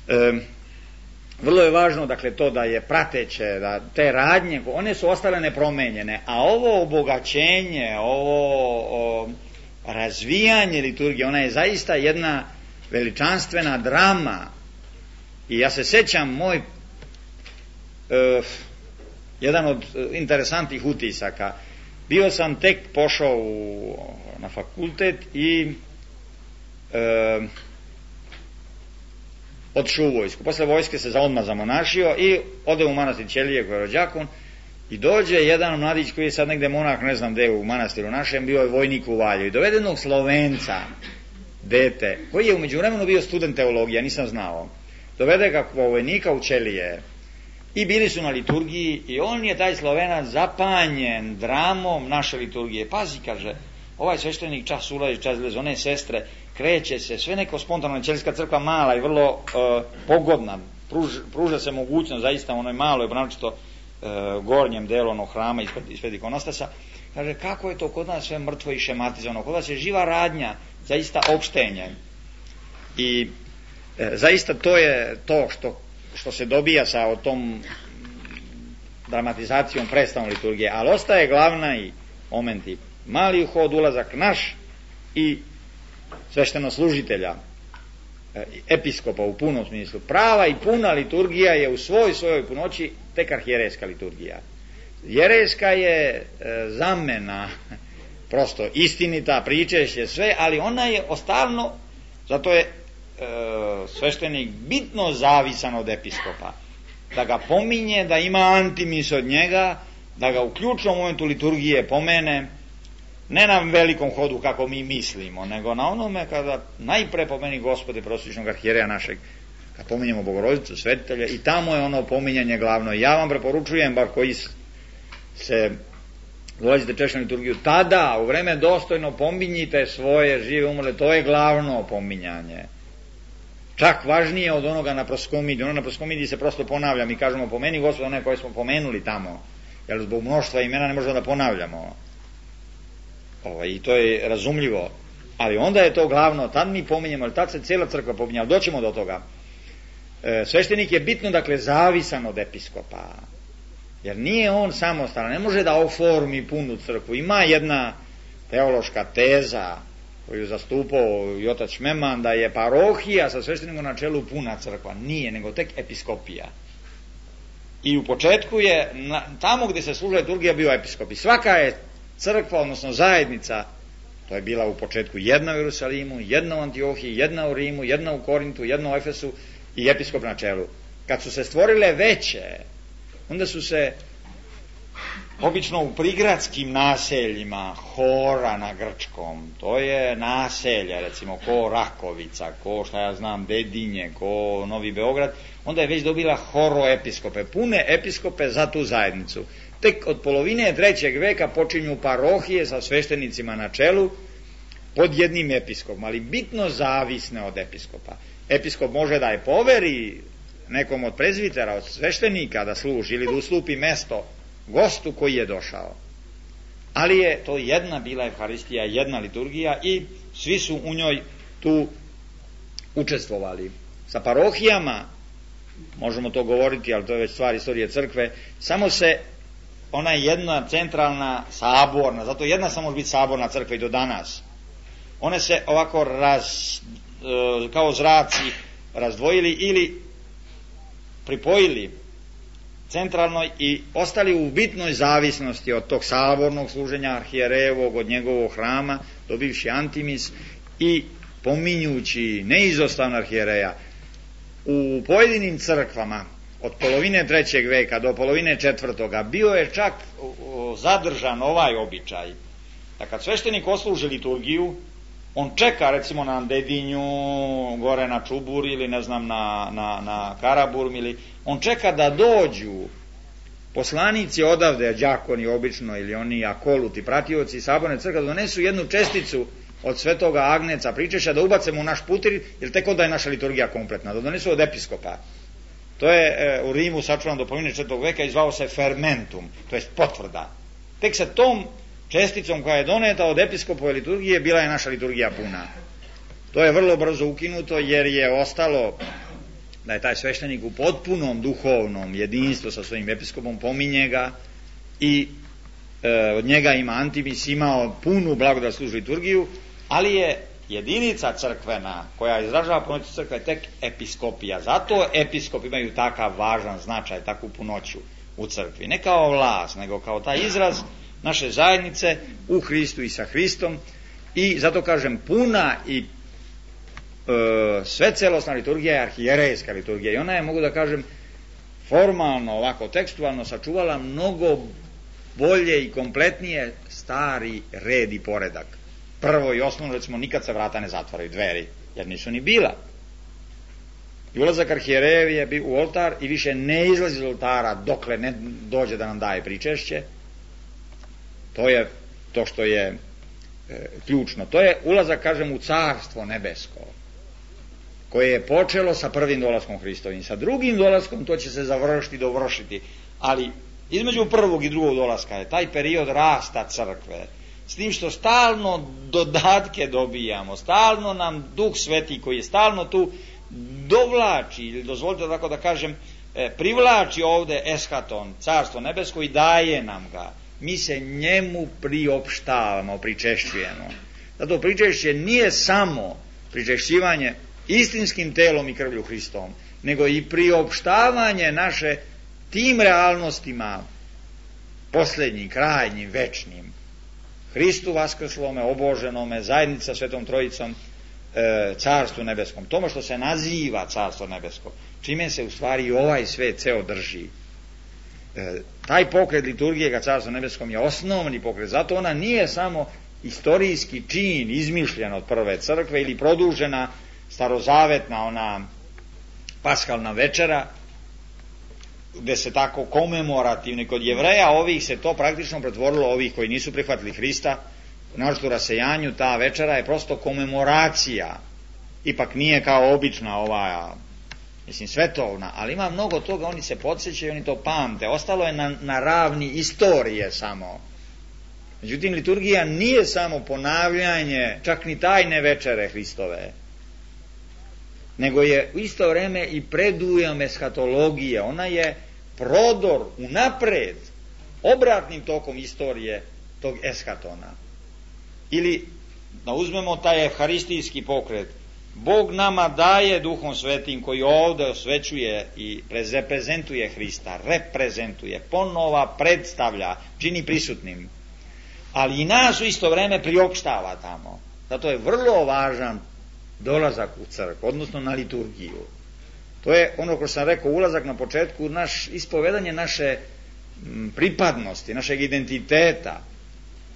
E, vrlo je važno, dakle, to da je prateće, da te radnje, one su ostale nepromenjene, a ovo obogaćenje, ovo o, razvijanje liturgije, ona je zaista jedna veličanstvena drama. I ja se sećam, moj e, jedan od interesantnih utisaka, bio sam tek pošao u, na fakultet i e, otišao u vojsku. Posle vojske se za odmah zamonašio i ode u manastir Ćelije koji je rođakon i dođe jedan mladić koji je sad negde monah, ne znam gde u manastiru našem, bio je vojnik u Valju i dovedenog Slovenca, dete, koji je u međuvremenu bio student teologije, ja nisam znao, dovede ga vojnika u Ćelije i bili su na liturgiji i on je, taj Slovenac, zapanjen dramom naše liturgije. Pazi, kaže, ovaj sveštenik čas ulazi, čas izlazi, one sestre, kreće se, sve neko spontano, Ćelijska crkva mala i vrlo uh, pogodna, pruž, pruža se mogućnost, zaista ono je malo, je naročito uh, gornjem delu onog hrama ispred, ispred ikonostasa, kaže, kako je to kod nas sve mrtvo i šematizovano, kod nas je živa radnja, zaista opštenje. I uh, zaista to je to što što se dobija sa tom dramatizacijom, predstavom liturgije, ali ostaje glavna i momenti mali uhod, ulazak naš i sveštenoslужitelja, episkopa u punom smislu. Prava i puna liturgija je u svoj svojoj punoći tek arhijerejska liturgija. Jerejska je e, zamena, prosto istinita, pričešće sve, ali ona je ostalno, zato je sveštenik bitno zavisan od episkopa, da ga pominje, da ima antimis od njega, da ga u ključnom momentu liturgije pomene, ne na velikom hodu kako mi mislimo, nego na onome kada najpre pomeni Gospode prosvičnog arhijereja našeg, kad pominjemo Bogorodicu, svetitelja, i tamo je ono pominjanje glavno. Ja vam preporučujem, bar koji se dolazite češće na liturgiju, tada u vreme dostojno pominjite svoje žive umrle, to je glavno pominjanje. Čak važnije od onoga na proskomidiji. Ono na proskomidiji se prosto ponavlja, mi kažemo pomeni Gospoda one koje smo pomenuli tamo, jer zbog mnoštva imena ne možemo da ponavljamo. Ovo, i to je razumljivo, ali onda je to glavno, tad mi pominjemo, ali tad se cijela crkva pominja, ali doćemo do toga. E, sveštenik je bitno, dakle, zavisan od episkopa, jer nije on samostalan, ne može da oformi punu crkvu. Ima jedna teološka teza koju zastupao i otac Šmeman, da je parohija sa sveštenikom na čelu puna crkva. Nije, nego tek episkopija. I u početku je, na, tamo gdje se služila liturgija, bio episkop. I svaka je crkva, odnosno zajednica, to je bila u početku jedna u Jerusalimu, jedna u Antiohiji, jedna u Rimu, jedna u Korintu, jedna u Efesu i episkop na čelu. Kad su se stvorile veće, onda su se obično u prigradskim naseljima, hora na grčkom, to je naselje, recimo ko Rakovica, ko šta ja znam Dedinje, ko Novi Beograd, onda je već dobila horoepiskope, pune episkope za tu zajednicu. Tek od polovine trećeg veka počinju parohije sa sveštenicima na čelu pod jednim episkopom, ali bitno zavisne od episkopa. Episkop može da je poveri nekom od prezvitera, od sveštenika da služi ili da uslupi mesto gostu koji je došao. Ali je to jedna bila Evharistija, jedna liturgija i svi su u njoj tu učestvovali. Sa parohijama, možemo to govoriti, ali to je već stvar istorije crkve, samo se ona jedna centralna saborna, zato jedna samo može biti saborna crkva i do danas. One se ovako raz, kao zraci razdvojili ili pripojili centralnoj i ostali u bitnoj zavisnosti od tog sabornog služenja arhijerejevog, od njegovog hrama, dobivši antimis i pominjući neizostavno arhijereja. U pojedinim crkvama od polovine trećeg veka do polovine četvrtoga bio je čak zadržan ovaj običaj da kad sveštenik osluži liturgiju, on čeka recimo na Dedinju, gore na Čubur ili ne znam na, na, na Karaburm, ili on čeka da dođu poslanici odavde, đakoni obično ili oni akoluti, pratioci saborne crkve, da donesu jednu česticu od svetoga Agneca pričešća, da ubacemo u naš putir, jer tek onda je naša liturgija kompletna, da donesu od episkopa. To je e, u Rimu sačuvan do polovine četvrtog veka i zvao se fermentum, to je potvrda. Tek sa tom česticom koja je doneta od episkopove liturgije bila je naša liturgija puna. To je vrlo brzo ukinuto jer je ostalo da je taj sveštenik u potpunom duhovnom jedinstvu sa svojim episkopom, pominje ga i e, od njega ima antimis, imao punu blagodat služi liturgiju, ali je jedinica crkvena koja izražava punoću crkve tek episkopija. Zato episkop imaju takav važan značaj, takvu punoću u crkvi. Ne kao vlast, nego kao taj izraz naše zajednice u Hristu i sa Hristom. I zato kažem, puna i e, sve celosna liturgija je arhijerejska liturgija. I ona je, mogu da kažem, formalno, ovako tekstualno sačuvala mnogo bolje i kompletnije stari red i poredak. Prvo i osnovno, recimo, nikad se vrata ne zatvaraju, dveri, jer nisu ni bila. I ulazak arhijerejev je bio u oltar i više ne izlazi iz oltara dokle ne dođe da nam daje pričešće. To je to što je e, ključno. To je ulazak, kažem, u carstvo nebesko, koje je počelo sa prvim dolaskom Hristovim. Sa drugim dolaskom to će se završiti, dovršiti. Ali između prvog i drugog dolaska je taj period rasta crkve, s tim što stalno dodatke dobijamo, stalno nam Duh Sveti koji je stalno tu dovlači, ili dozvolite tako da kažem, e, privlači ovde eschaton, carstvo nebesko, i daje nam ga. Mi se njemu priopštavamo, pričešćujemo. Zato pričešće nije samo pričešćivanje istinskim telom i krvlju Hristovom, nego i priopštavanje naše tim realnostima posljednjim, krajnjim, večnim. Hristu vaskrslome, oboženome, zajednica Svetom Trojicom, e, carstvu nebeskom, tome što se naziva carstvo nebesko, čime se u stvari ovaj svet ceo drži. E, taj pokret liturgije ka carstvu nebeskom je osnovni pokret, zato ona nije samo istorijski čin izmišljen od prve crkve ili produžena starozavetna ona paskalna večera, gde se tako komemorativni kod Jevreja, ovih se to praktično pretvorilo, ovih koji nisu prihvatili Hrista, naročito u rasejanju, ta večera je prosto komemoracija, ipak nije kao obična ova, mislim, svetovna, ali ima mnogo toga, oni se podsjećaju, oni to pamte, ostalo je na, na ravni istorije samo. Međutim, liturgija nije samo ponavljanje, čak ni tajne večere Hristove, nego je u isto vreme i predujam eshatologije, ona je prodor unapred, obratnim tokom istorije tog eshatona. Ili, da uzmemo taj evharistijski pokret, Bog nama daje Duhom Svetim koji ovde osvećuje i reprezentuje Hrista, reprezentuje, ponova predstavlja, čini prisutnim, ali i nas u isto vreme priopštava tamo. Zato je vrlo važan dolazak u crkvu, odnosno na liturgiju. To je ono ko sam rekao, ulazak na početku, naš ispovedanje naše pripadnosti, našeg identiteta.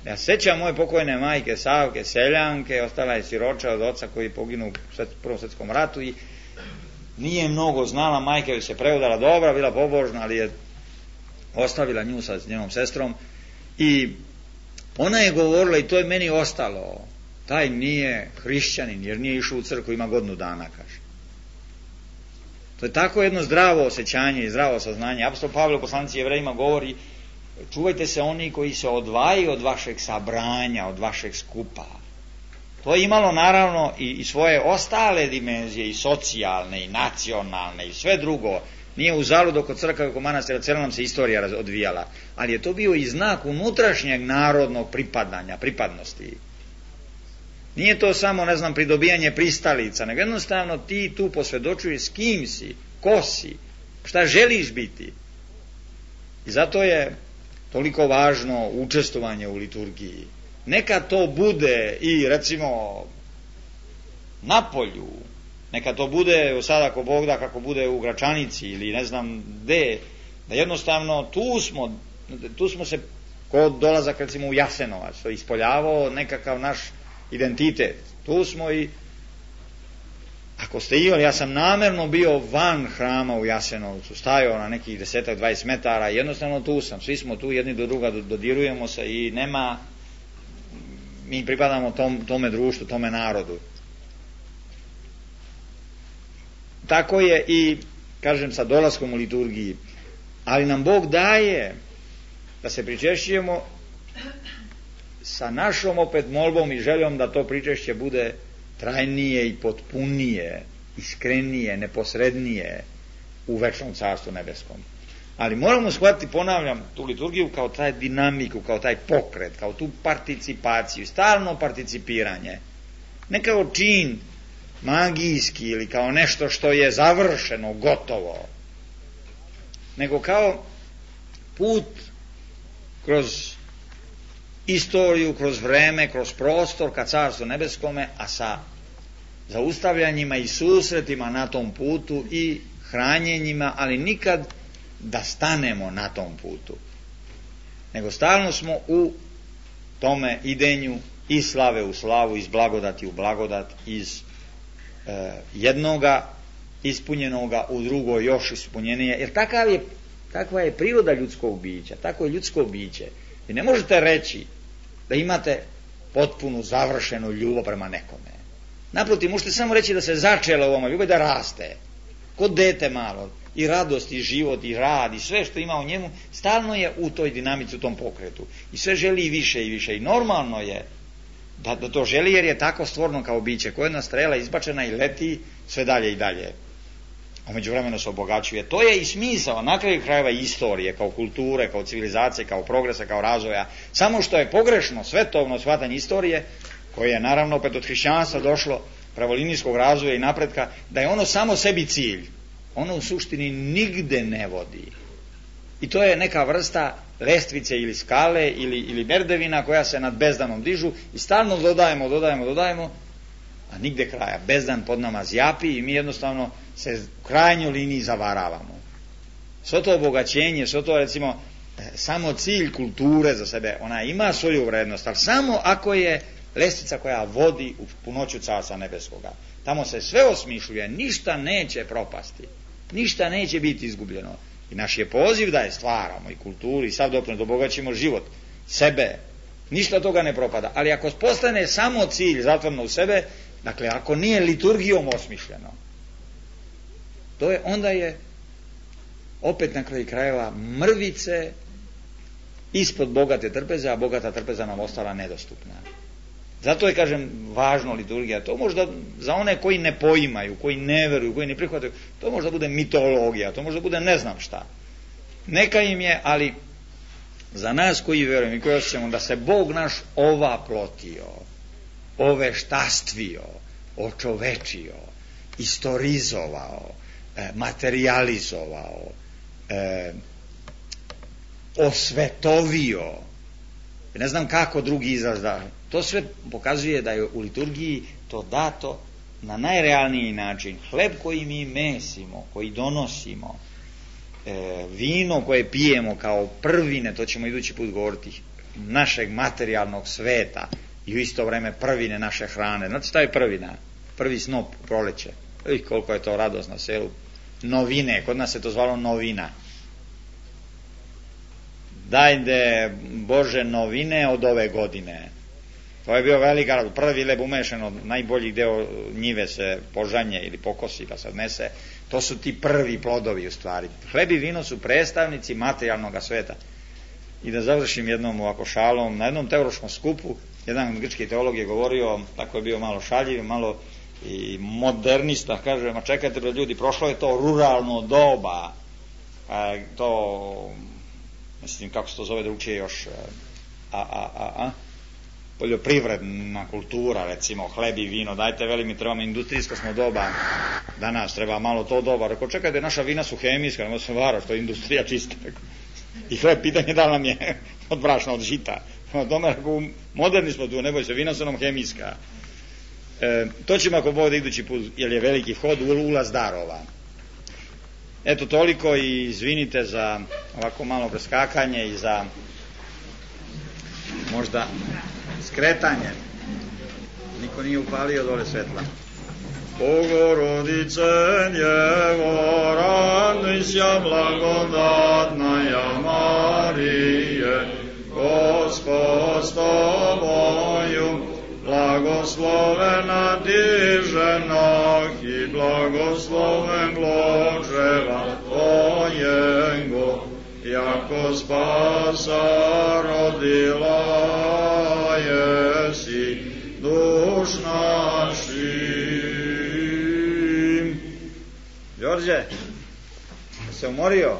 Ja sećam moje pokojne majke Savke, seljanke, ostala je siroča od oca koji je poginuo u Prvom svetskom ratu i nije mnogo znala, majka joj se preudala dobra, bila pobožna, ali je ostavila nju sa njenom sestrom i ona je govorila, i to je meni ostalo, taj nije hrišćanin jer nije išao u crkvu, ima godinu dana, kaže. To je tako jedno zdravo osjećanje i zdravo saznanje. Apostol Pavle u poslanici Jevrejima govori, čuvajte se oni koji se odvajaju od vašeg sabranja, od vašeg skupa. To je imalo naravno i, i svoje ostale dimenzije, i socijalne, i nacionalne, i sve drugo. Nije uzalud oko crkve, oko manastira, cijela nam se istorija odvijala, ali je to bio i znak unutrašnjeg narodnog pripadanja, pripadnosti. Nije to samo, ne znam, pridobijanje pristalica, nego jednostavno ti tu posvjedočuješ s kim si, ko si, šta želiš biti. I zato je toliko važno učestvovanje u liturgiji. Neka to bude i recimo na polju, neka to bude sada ako Bog da, kako bude u Gračanici ili ne znam gde, da jednostavno tu smo, tu smo se kod dolazak recimo u Jasenovac, to je ispoljavao nekakav naš identitet. Tu smo i ako ste imali, ja sam namerno bio van hrama u Jasenovcu, stajao na nekih desetak, dvadeset metara, jednostavno tu sam, svi smo tu, jedni do druga dodirujemo se i nema, mi pripadamo tom, tome društvu, tome narodu. Tako je i, kažem, sa dolaskom u liturgiji, ali nam Bog daje da se pričešćujemo sa našom opet molbom i željom da to pričešće bude trajnije i potpunije, iskrenije, neposrednije u večnom carstvu nebeskom. Ali moramo shvatiti, ponavljam, tu liturgiju kao taj dinamiku, kao taj pokret, kao tu participaciju, stalno participiranje. Ne kao čin magijski ili kao nešto što je završeno, gotovo, nego kao put kroz istoriju, kroz vreme, kroz prostor ka carstvu nebeskome, a sa zaustavljanjima i susretima na tom putu i hranjenjima, ali nikad da stanemo na tom putu, nego stalno smo u tome idenju iz slave u slavu, iz blagodati u blagodat, iz e, jednoga ispunjenoga u drugo još ispunjenije, jer takav je, takva je priroda ljudskog bića, tako je ljudsko biće. Vi ne možete reći da imate potpunu, završenu ljubav prema nekome. Naprotiv, možete samo reći da se začela u ovome ljubav, da raste. Kod dete malo, i radost, i život, i rad, i sve što ima u njemu, stalno je u toj dinamici, u tom pokretu. I sve želi i više i više. I normalno je da, da to želi, jer je tako stvorno kao biće. Ko jedna strela izbačena i leti sve dalje i dalje. A međuvremeno se obogaćuje. To je i smisao, na kraju krajeva istorije, kao kulture, kao civilizacije, kao progresa, kao razvoja. Samo što je pogrešno svetovno shvatanje istorije, koje je naravno opet od hrišćanstva došlo, pravolinijskog razvoja i napretka, da je ono samo sebi cilj. Ono u suštini nigde ne vodi. I to je neka vrsta lestvice ili skale ili, ili merdevina koja se nad bezdanom dižu i stalno dodajemo, dodajemo, dodajemo, a nigde kraja. Bezdan pod nama zjapi i mi jednostavno se u krajnjoj liniji zavaravamo. Svo to obogaćenje, svo to recimo samo cilj kulture za sebe, ona ima svoju vrednost, ali samo ako je lestvica koja vodi u punoću Carstva nebeskoga. Tamo se sve osmišljuje, ništa neće propasti, ništa neće biti izgubljeno. I naš je poziv da je stvaramo i kulturu i sav doprinos, da obogaćimo život, sebe, ništa toga ne propada. Ali ako postane samo cilj zatvoreno u sebe, dakle ako nije liturgijom osmišljeno, to je, onda je opet na kraju krajeva mrvice ispod bogate trpeze, a bogata trpeza nam ostala nedostupna. Zato je, kažem, važno liturgija. To možda za one koji ne poimaju, koji ne veruju, koji ne prihvataju, to možda bude mitologija, to možda bude ne znam šta. Neka im je, ali za nas koji verujemo i koji osjećamo da se Bog naš ovaplotio, oveštastvio, očovečio, istorizovao, materializovao, e, osvetovio, ne znam kako drugi izraz da, to sve pokazuje da je u liturgiji to dato na najrealniji način. Hleb koji mi mesimo, koji donosimo, e, vino koje pijemo kao prvine, to ćemo idući put govoriti, našeg materijalnog sveta i u isto vreme prvine naše hrane. Znate šta je prvina? Prvi snop u proleće. I koliko je to radost na selu. Novine, kod nas se to zvalo novina. Dajde Bože novine od ove godine. To je bio velika radost. Prvi leb umešan od najboljih deo njive se požanje ili pokosi pa se odnese. To su ti prvi plodovi u stvari. Hleb i vino su predstavnici materijalnog sveta. I da završim jednom ovako šalom, na jednom teološkom skupu jedan grčki teolog je govorio, tako je bio malo šaljiv, malo i modernista, kaže, ma čekajte da ljudi, prošlo je to ruralno doba, a, to, mislim kako se to zove drugčije još, a, a, a, a, poljoprivredna kultura, recimo, hleb i vino, dajte, veli mi, trebamo industrijsko smo doba, danas treba malo to doba, rekao, čekajte, naša vina su hemijska, nema se vara, što je industrija čista, i hleb, pitanje da nam je od brašna, od žita, od tome, rekao, moderni smo tu, ne boj se, vina su nam hemijska. E, to ćemo ako Bog da idući put, jer je veliki hod, ulaz darova. Eto toliko i izvinite za ovako malo preskakanje i za možda skretanje. Niko nije upalio dole svetla. Bogorodice Djevo, radujся, blagodatnaja Marije, Gospod s tobою, blagoslovena ti žena i blagosloven plod čreva tvojego, jako spasa rodila jesi duš našim. Đorđe, se umorio?